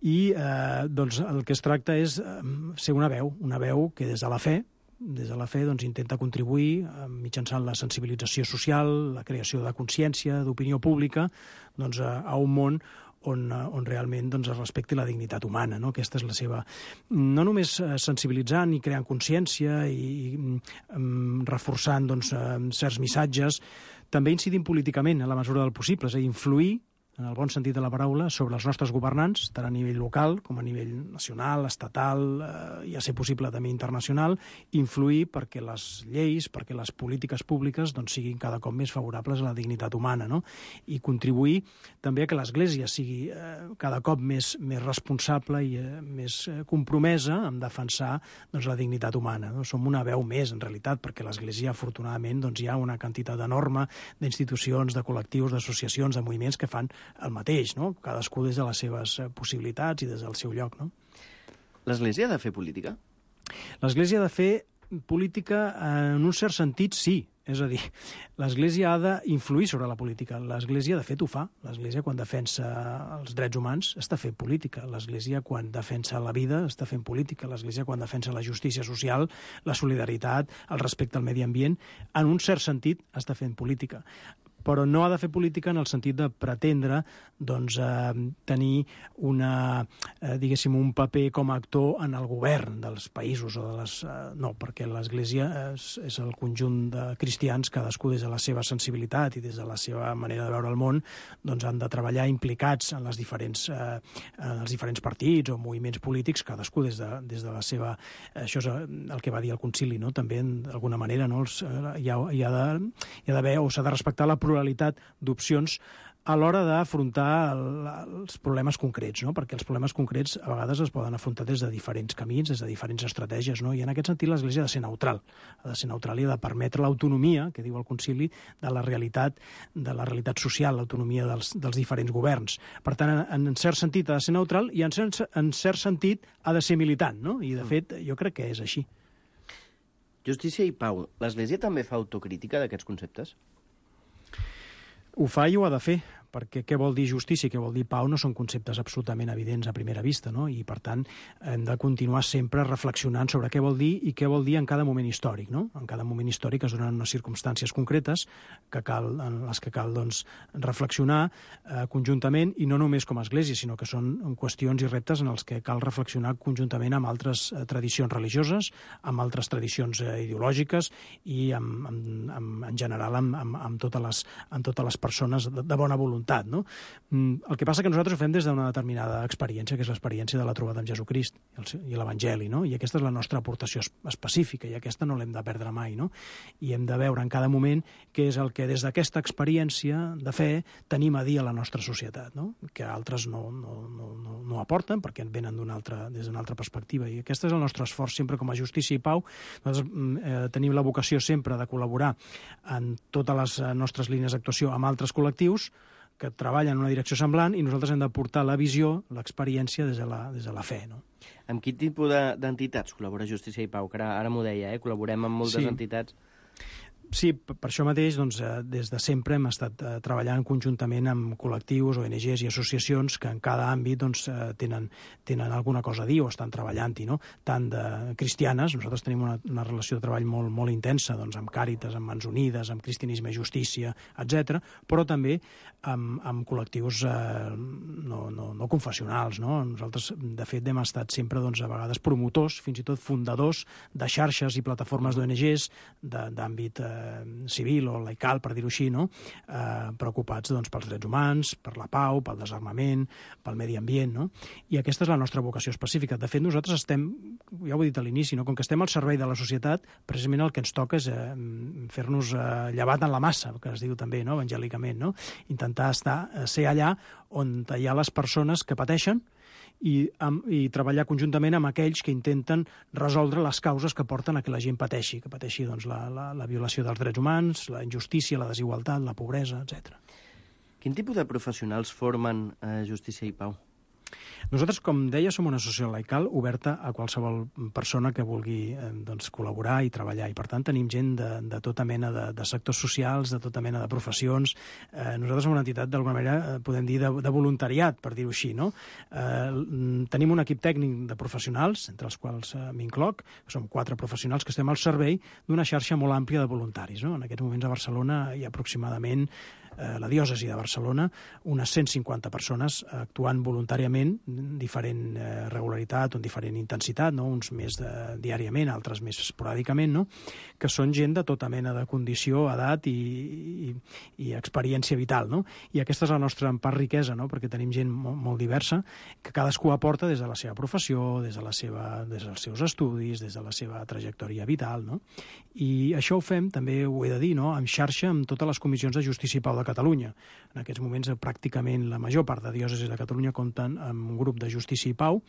i eh, doncs, el que es tracta és eh, ser una veu, una veu que des de la fe, des de la fe doncs, intenta contribuir eh, mitjançant la sensibilització social, la creació de consciència, d'opinió pública, doncs, a, a un món on, on realment doncs, es respecti la dignitat humana. No? Aquesta és la seva... No només sensibilitzant i creant consciència i, i um, reforçant doncs, certs missatges, també incidint políticament en la mesura del possible, és a dir, influir en el bon sentit de la paraula, sobre els nostres governants, tant a nivell local com a nivell nacional, estatal, eh, i a ser possible també internacional, influir perquè les lleis, perquè les polítiques públiques doncs, siguin cada cop més favorables a la dignitat humana, no? I contribuir també a que l'Església sigui eh, cada cop més, més responsable i eh, més eh, compromesa en defensar doncs, la dignitat humana. No? Som una veu més, en realitat, perquè l'Església, afortunadament, doncs, hi ha una quantitat enorme d'institucions, de col·lectius, d'associacions, de moviments que fan el mateix, no? Cadascú des de les seves possibilitats i des del seu lloc, no? L'Església ha de fer política? L'Església ha de fer política, en un cert sentit, sí. És a dir, l'Església ha d'influir sobre la política. L'Església, de fet, ho fa. L'Església, quan defensa els drets humans, està fent política. L'Església, quan defensa la vida, està fent política. L'Església, quan defensa la justícia social, la solidaritat, el respecte al medi ambient, en un cert sentit, està fent política. Però no ha de fer política en el sentit de pretendre doncs, eh, tenir una, eh, diguéssim, un paper com a actor en el govern dels països. O de les, eh, no, perquè l'Església és, és el conjunt de cristians, cadascú des de la seva sensibilitat i des de la seva manera de veure el món, doncs han de treballar implicats en, les diferents, eh, en els diferents partits o moviments polítics, cadascú des de, des de la seva... Això és el que va dir el concili, no? També, d'alguna manera, no? Els, eh, hi ha, hi ha de, hi ha d'haver o s'ha de respectar la pluralitat d'opcions a l'hora d'afrontar els problemes concrets, no? Perquè els problemes concrets a vegades es poden afrontar des de diferents camins, des de diferents estratègies, no? I en aquest sentit l'Església ha de ser neutral, ha de ser neutral i ha de permetre l'autonomia, que diu el concili, de la realitat, de la realitat social, l'autonomia dels, dels diferents governs. Per tant, en, en cert sentit ha de ser neutral i en cert, en cert sentit ha de ser militant, no? I de fet jo crec que és així. Justícia i pau. L'Església també fa autocrítica d'aquests conceptes? Ho fa i ho ha de fer, perquè què vol dir justícia i què vol dir pau no són conceptes absolutament evidents a primera vista, no? I, per tant, hem de continuar sempre reflexionant sobre què vol dir i què vol dir en cada moment històric, no? En cada moment històric es donen unes circumstàncies concretes que cal, en les que cal doncs, reflexionar eh, conjuntament, i no només com a Església, sinó que són qüestions i reptes en els que cal reflexionar conjuntament amb altres eh, tradicions religioses, amb altres tradicions eh, ideològiques i, amb, amb, amb, en general, amb, amb, amb, totes les, amb totes les persones de, de bona voluntat. No? El que passa que nosaltres ho fem des d'una determinada experiència, que és l'experiència de la trobada amb Jesucrist i l'Evangeli, no? I aquesta és la nostra aportació específica, i aquesta no l'hem de perdre mai, no? I hem de veure en cada moment què és el que des d'aquesta experiència de fe tenim a dir a la nostra societat, no? Que altres no, no, no, no, no aporten perquè venen altra, des d'una altra perspectiva, i aquest és el nostre esforç sempre com a Justícia i Pau. Nosaltres eh, tenim la vocació sempre de col·laborar en totes les nostres línies d'actuació amb altres col·lectius que treballen en una direcció semblant, i nosaltres hem de portar la visió, l'experiència des de la, des de la fe, no? Amb quin tipus d'entitats col·labora Justícia i Pau? Que ara, ara m'ho deia, eh? Col·laborem amb moltes sí. entitats. Sí, per això mateix, doncs, des de sempre hem estat eh, treballant conjuntament amb col·lectius, O N Ges i associacions que en cada àmbit doncs, eh, tenen, tenen alguna cosa a dir o estan treballant-hi, no? Tant de cristianes, nosaltres tenim una, una relació de treball molt, molt intensa doncs, amb Càritas, amb Mans Unides, amb Cristianisme i Justícia, etcètera, però també amb, amb col·lectius eh, no, no, no confessionals, no? Nosaltres, de fet, hem estat sempre, doncs, a vegades promotors, fins i tot fundadors de xarxes i plataformes d'O N Ges d'àmbit eh, civil o laical, per dir-ho així, no? eh, preocupats doncs, pels drets humans, per la pau, pel desarmament, pel medi ambient, no? I aquesta és la nostra vocació específica. De fet, nosaltres estem, ja ho he dit a l'inici, no? Com que estem al servei de la societat, precisament el que ens toca és eh, fer-nos eh, llevat en la massa, que es diu també, no? Evangèlicament, no? Intentar estar, ser allà on hi ha les persones que pateixen, I, amb, i treballar conjuntament amb aquells que intenten resoldre les causes que porten a que la gent pateixi, que pateixi doncs, la, la, la violació dels drets humans, la injustícia, la desigualtat, la pobresa, etcètera. Quin tipus de professionals formen eh, Justícia i Pau? Nosaltres, com deia, som una associació laical oberta a qualsevol persona que vulgui eh, doncs, col·laborar i treballar. I, per tant, tenim gent de, de tota mena de, de sectors socials, de tota mena de professions. Eh, nosaltres som una entitat, d'alguna manera, podem dir, de, de voluntariat, per dir-ho així, no? Eh, tenim un equip tècnic de professionals, entre els quals eh, m'incloc, som quatre professionals que estem al servei d'una xarxa molt àmplia de voluntaris, no? En aquests moments a Barcelona hi ha aproximadament la diòcesi de Barcelona, unes cent cinquanta persones actuant voluntàriament, diferent eh, regularitat o en diferent intensitat, no? Uns més de, diàriament, altres més esporàdicament, no? Que són gent de tota mena de condició, edat i, i, i experiència vital, no? I aquesta és la nostra, en part, riquesa, no? Perquè tenim gent molt, molt diversa, que cadascú aporta des de la seva professió, des, de la seva, des dels seus estudis, des de la seva trajectòria vital, no? I això ho fem, també ho he de dir, no? En xarxa amb totes les comissions de Justícia i Pau de Catalunya. En aquests moments, pràcticament la major part de diòcesis de Catalunya compten amb un grup de Justícia i Pau,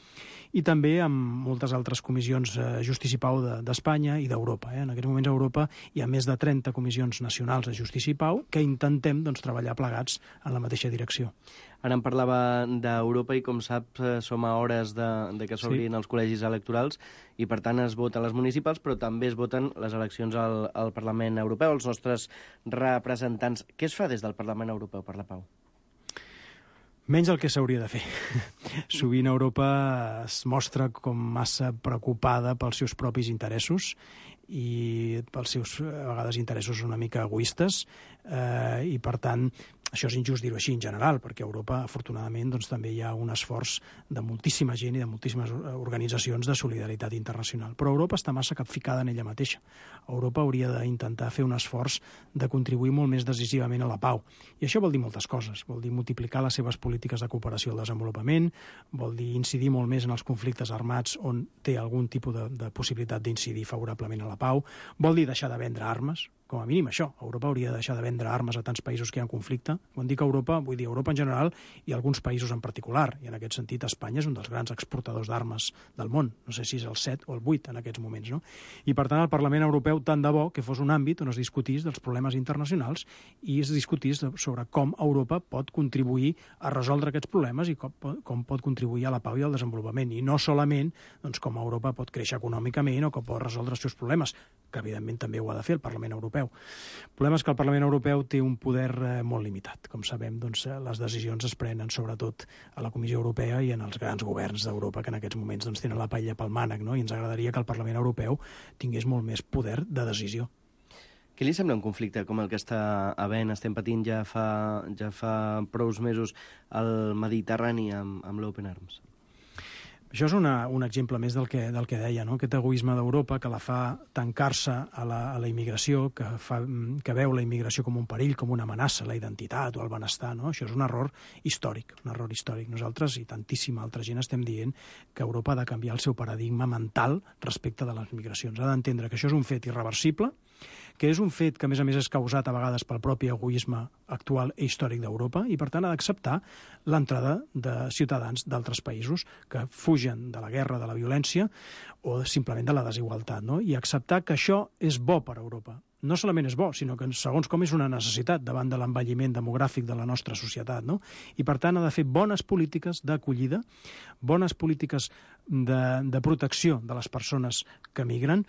i també amb moltes altres comissions de Justícia i Pau d'Espanya i d'Europa. Eh? En aquests moments a Europa hi ha més de trenta comissions nacionals de Justícia i Pau que intentem doncs, treballar plegats en la mateixa direcció. Ara em parlava d'Europa i, com saps, som a hores de, de que s'obrin sí. els col·legis electorals i, per tant, es voten les municipals, però també es voten les eleccions al, al Parlament Europeu, els nostres representants. Què es fa des del Parlament Europeu per la pau? Menys el que s'hauria de fer. Sovint Europa es mostra com massa preocupada pels seus propis interessos i pels seus, a vegades, interessos una mica egoistes, eh, i, per tant, això és injust dir-ho així en general, perquè a Europa, afortunadament, doncs, també hi ha un esforç de moltíssima gent i de moltíssimes organitzacions de solidaritat internacional. Però Europa està massa capficada en ella mateixa. Europa hauria d'intentar fer un esforç de contribuir molt més decisivament a la pau. I això vol dir moltes coses. Vol dir multiplicar les seves polítiques de cooperació al desenvolupament, vol dir incidir molt més en els conflictes armats on té algun tipus de, de possibilitat d'incidir favorablement a la pau, vol dir deixar de vendre armes, com a mínim això. Europa hauria de deixar de vendre armes a tants països que hi ha conflicte. Quan dic Europa, vull dir Europa en general i alguns països en particular. I en aquest sentit Espanya és un dels grans exportadors d'armes del món. No sé si és el set o el vuit en aquests moments, no? I per tant el Parlament Europeu tant de bo que fos un àmbit on es discutís dels problemes internacionals i es discutís sobre com Europa pot contribuir a resoldre aquests problemes i com, com pot contribuir a la pau i al desenvolupament. I no solament doncs, com Europa pot créixer econòmicament o com pot resoldre els seus problemes, que evidentment també ho ha de fer el Parlament Europeu. El problema és que el Parlament Europeu té un poder eh, molt limitat. Com sabem, doncs, les decisions es prenen sobretot a la Comissió Europea i en els grans governs d'Europa que en aquests moments doncs, tenen la paella pel mànec, no? I ens agradaria que el Parlament Europeu tingués molt més poder de decisió. Què li sembla un conflicte com el que està havent, estem patint ja fa, ja fa prous mesos al Mediterrani amb, amb l'Open Arms? Això és una, un exemple més del que, del que deia, no? Aquest egoisme d'Europa que la fa tancar-se a la, a la immigració, que, fa, que veu la immigració com un perill, com una amenaça, la identitat o el benestar, no? Això és un error històric, un error històric. Nosaltres i tantíssima altra gent estem dient que Europa ha de canviar el seu paradigma mental respecte de les migracions. Ha d'entendre que això és un fet irreversible, que és un fet que, a més a més, és causat a vegades pel propi egoisme actual i històric d'Europa i, per tant, ha d'acceptar l'entrada de ciutadans d'altres països que fugen de la guerra, de la violència o simplement de la desigualtat, no? I acceptar que això és bo per a Europa. No solament és bo, sinó que, segons com, és una necessitat davant de l'envelliment demogràfic de la nostra societat, no? I, per tant, ha de fer bones polítiques d'acollida, bones polítiques de, de protecció de les persones que migren,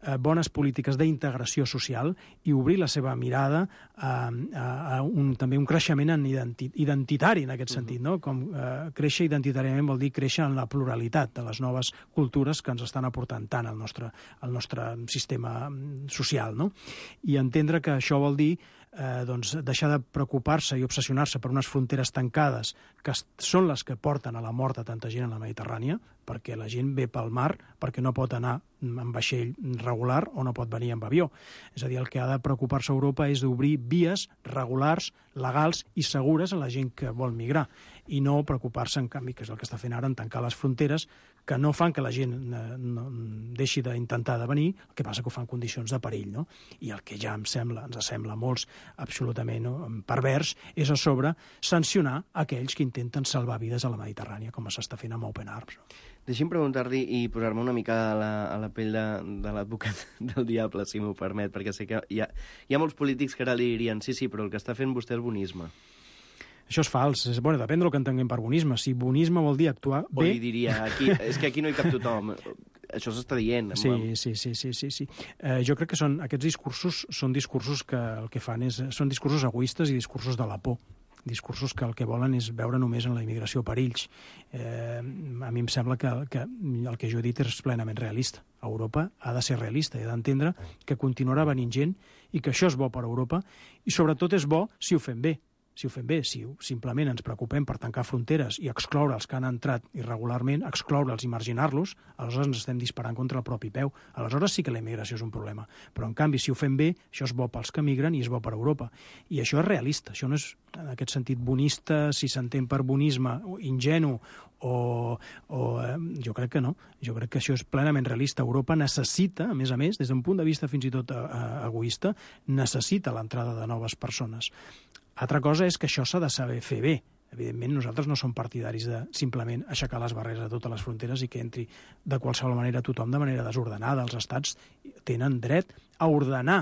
eh, bones polítiques d'integració social i obrir la seva mirada a, a, a un, també un creixement en identi identitari, en aquest sentit, no? Com eh, créixer identitàriament vol dir créixer en la pluralitat de les noves cultures que ens estan aportant tant al nostre, al nostre sistema social, no? I entendre que això vol dir eh, doncs, deixar de preocupar-se i obsessionar-se per unes fronteres tancades que són les que porten a la mort a tanta gent a la Mediterrània, perquè la gent ve pel mar perquè no pot anar en vaixell regular o no pot venir amb avió. És a dir, el que ha de preocupar-se Europa és d'obrir vies regulars, legals i segures a la gent que vol migrar i no preocupar-se, en canvi, que és el que està fent ara, en tancar les fronteres que no fan que la gent no, deixi d'intentar de venir, el que passa que ho fan en condicions de perill, no? I el que ja em sembla, ens sembla a molts absolutament no, pervers, és a sobre sancionar aquells que intenten salvar vides a la Mediterrània, com s'està fent amb Open Arms. No? Deixi'm preguntar-li i posar-me una mica a la, a la pell de, de l'advocat del diable, si m'ho permet, perquè sé que hi ha, hi ha molts polítics que ara li dirien sí, sí, però el que està fent vostè és bonisme. Això és fals. És, bueno, depèn del que entenguem per bonisme. Si bonisme vol dir actuar bé... O li diria, aquí, és que aquí no hi cap tothom. Això s'està dient. Sí, sí, sí, sí, sí, sí. Eh, jo crec que són, aquests discursos són discursos que el que fan és... Són discursos egoistes i discursos de la por. Discursos que el que volen és veure només en la immigració perills. Eh, a mi em sembla que, que el que jo he dit és plenament realista. Europa ha de ser realista i ha d'entendre que continuarà venint gent i que això és bo per a Europa i sobretot és bo si ho fem bé. Si ho fem bé, si simplement ens preocupem per tancar fronteres i excloure els que han entrat irregularment, excloure'ls i marginar-los, aleshores ens estem disparant contra el propi peu. Aleshores sí que la immigració és un problema. Però, en canvi, si ho fem bé, això és bo pels que migren i és bo per a Europa. I això és realista. Això no és, en aquest sentit, bonista, si s'entén per bonisme, ingenu, o, o eh, jo crec que no. Jo crec que això és plenament realista. Europa necessita, a més a més, des d'un punt de vista fins i tot eh, egoista, necessita l'entrada de noves persones. Altra cosa és que això s'ha de saber fer bé. Evidentment, nosaltres no som partidaris de simplement aixecar les barreres a totes les fronteres i que entri de qualsevol manera tothom de manera desordenada. Els estats tenen dret a ordenar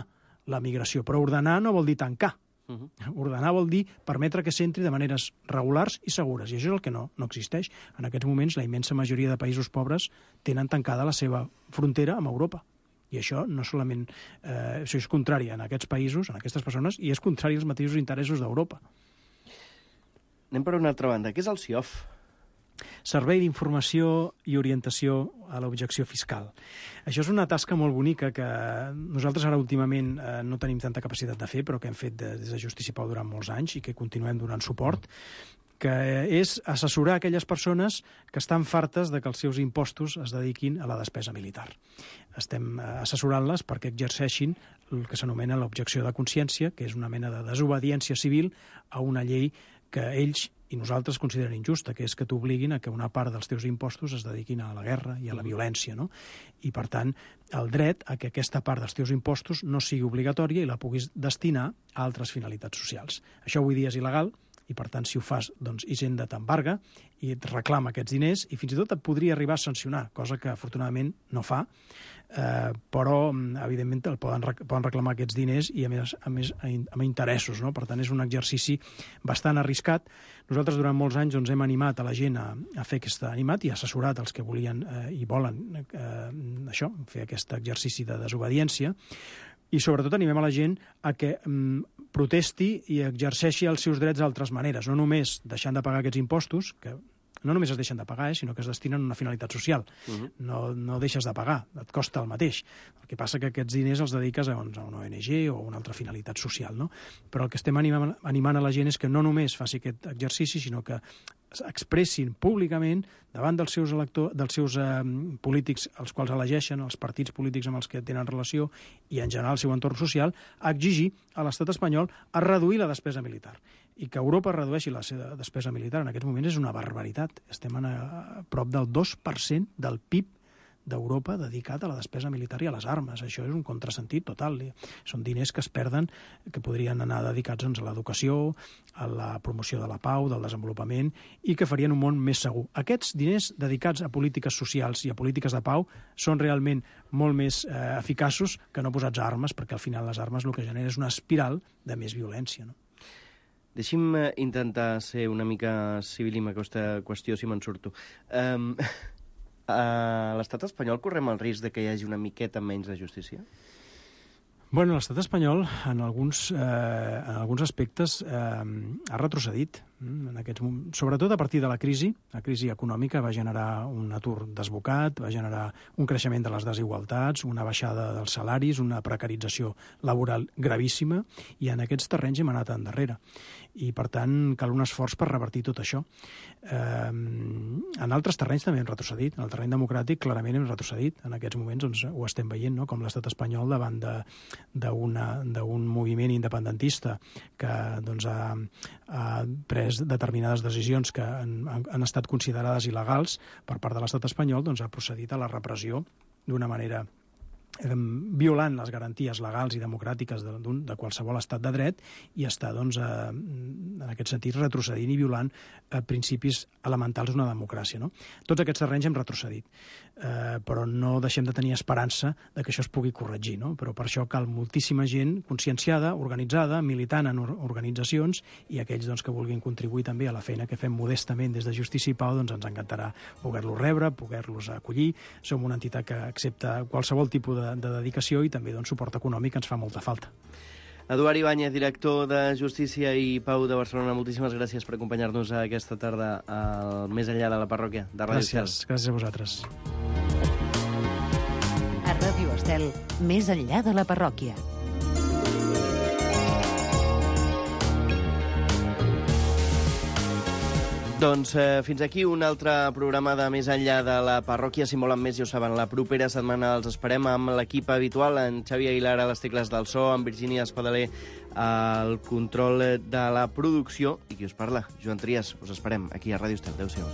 la migració, però ordenar no vol dir tancar. Uh-huh. Ordenar vol dir permetre que s'entri de maneres regulars i segures, i això és el que no, no existeix. En aquests moments, la immensa majoria de països pobres tenen tancada la seva frontera amb Europa. I això no solament... Eh, això és contrari en aquests països, en aquestes persones, i és contrari als mateixos interessos d'Europa. Anem per una altra banda. Què és el C I O F? Servei d'Informació i Orientació a l'Objecció Fiscal. Això és una tasca molt bonica que nosaltres ara últimament eh, no tenim tanta capacitat de fer, però que hem fet de, des de Justícia i Pau durant molts anys i que continuem donant suport, que és assessorar aquelles persones que estan fartes de que els seus impostos es dediquin a la despesa militar. Estem assessorant-les perquè exerceixin el que s'anomena l'objecció de consciència, que és una mena de desobediència civil a una llei que ells i nosaltres consideren injusta, que és que t'obliguin a que una part dels teus impostos es dediquin a la guerra i a la violència, no? I, per tant, el dret a que aquesta part dels teus impostos no sigui obligatòria i la puguis destinar a altres finalitats socials. Això avui dia és il·legal, i per tant, si ho fas, doncs Hisenda t'embarga i et reclama aquests diners i fins i tot et podria arribar a sancionar, cosa que afortunadament no fa, eh, però evidentment el poden, poden reclamar aquests diners i a més, a més amb interessos, no? Per tant, és un exercici bastant arriscat. Nosaltres durant molts anys doncs, hem animat a la gent a, a fer aquest animat i assessorat els que volien eh, i volen eh, això, fer aquest exercici de desobediència, i sobretot animem a la gent a que mm, protesti i exerceixi els seus drets d'altres maneres, no només deixant de pagar aquests impostos, que no només es deixen de pagar, eh, sinó que es destinen a una finalitat social. Uh-huh. No, no deixes de pagar, et costa el mateix. El que passa que aquests diners els dediques a, doncs, a una O N G o a una altra finalitat social, no? Però el que estem animant, animant a la gent és que no només faci aquest exercici, sinó que expressin públicament davant dels seus, elector, dels seus eh, polítics, els quals elegeixen, els partits polítics amb els que tenen relació i, en general, el seu entorn social, a exigir a l'estat espanyol a reduir la despesa militar. I que Europa redueixi la seva despesa militar en aquests moments és una barbaritat. Estem a, a prop del dos per cent del P I B d'Europa dedicat a la despesa militar i a les armes. Això és un contrasentit total. Són diners que es perden, que podrien anar dedicats doncs, a l'educació, a la promoció de la pau, del desenvolupament, i que farien un món més segur. Aquests diners dedicats a polítiques socials i a polítiques de pau són realment molt més eh, eficaços que no posats a armes, perquè al final les armes el que genera és una espiral de més violència, no? Deixi'm intentar ser una mica civil amb aquesta qüestió, si me'n surto. Um... A l'estat espanyol correm el risc de que hi hagi una miqueta menys de justícia? Bueno, l'estat espanyol, en alguns, eh, en alguns aspectes, eh, ha retrocedit. En aquests, sobretot a partir de la crisi. La crisi econòmica va generar un atur desbocat, va generar un creixement de les desigualtats, una baixada dels salaris, una precarització laboral gravíssima, i en aquests terrenys hem anat endarrere. I, per tant, cal un esforç per revertir tot això. Eh, en altres terrenys també hem retrocedit. En el terreny democràtic clarament hem retrocedit. En aquests moments doncs, ho estem veient, no? Com l'estat espanyol davant d'un moviment independentista que doncs, ha, ha pres determinades decisions que han, han estat considerades il·legals per part de l'estat espanyol, doncs ha procedit a la repressió d'una manera eh, violant les garanties legals i democràtiques de, de qualsevol estat de dret i està, doncs, eh, en aquest sentit, retrocedint i violant eh, principis elementals d'una democràcia, no? Tots aquests terrenys hem retrocedit, eh, però no deixem de tenir esperança de que això es pugui corregir, no? Però per això cal moltíssima gent conscienciada, organitzada, militant en organitzacions, i aquells doncs, que vulguin contribuir també a la feina que fem modestament des de Justícia i Pau, doncs ens encantarà poder-los rebre, poder-los acollir. Som una entitat que accepta qualsevol tipus de, de dedicació i també doncs, suport econòmic ens fa molta falta. Eduard Ibáñez, director de Justícia i Pau de Barcelona, moltíssimes gràcies per acompanyar-nos aquesta tarda al Més enllà de la parròquia de Ràdio Estel. Gràcies, gràcies a vosaltres. A Ràdio Estel, Més enllà de la parròquia. Doncs eh, fins aquí un altre programa de Més enllà de la parròquia. Si volen més, ja ho saben, la propera setmana els esperem amb l'equip habitual, en Xavi Aguilar a les tecles del so, en Virgínia Espadaler al control de la producció, i qui us parla, Joan Trias. Us esperem aquí a Ràdio Estel. Adéu-siau.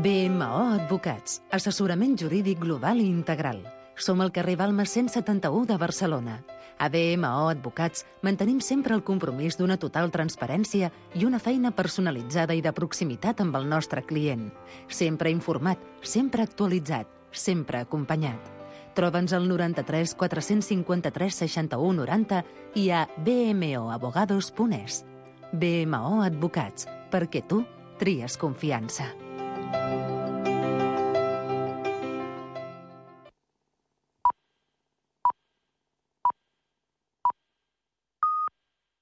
B M O Advocats, assessorament jurídic global i integral. Som al carrer Balmes cent setanta-u de Barcelona. A B M O Advocats mantenim sempre el compromís d'una total transparència i una feina personalitzada i de proximitat amb el nostre client. Sempre informat, sempre actualitzat, sempre acompanyat. Troba'ns al noranta-tres quatre-cents cinquanta-tres seixanta-u noranta i a b m o abogados punt es. B M O Advocats, perquè tu tries confiança.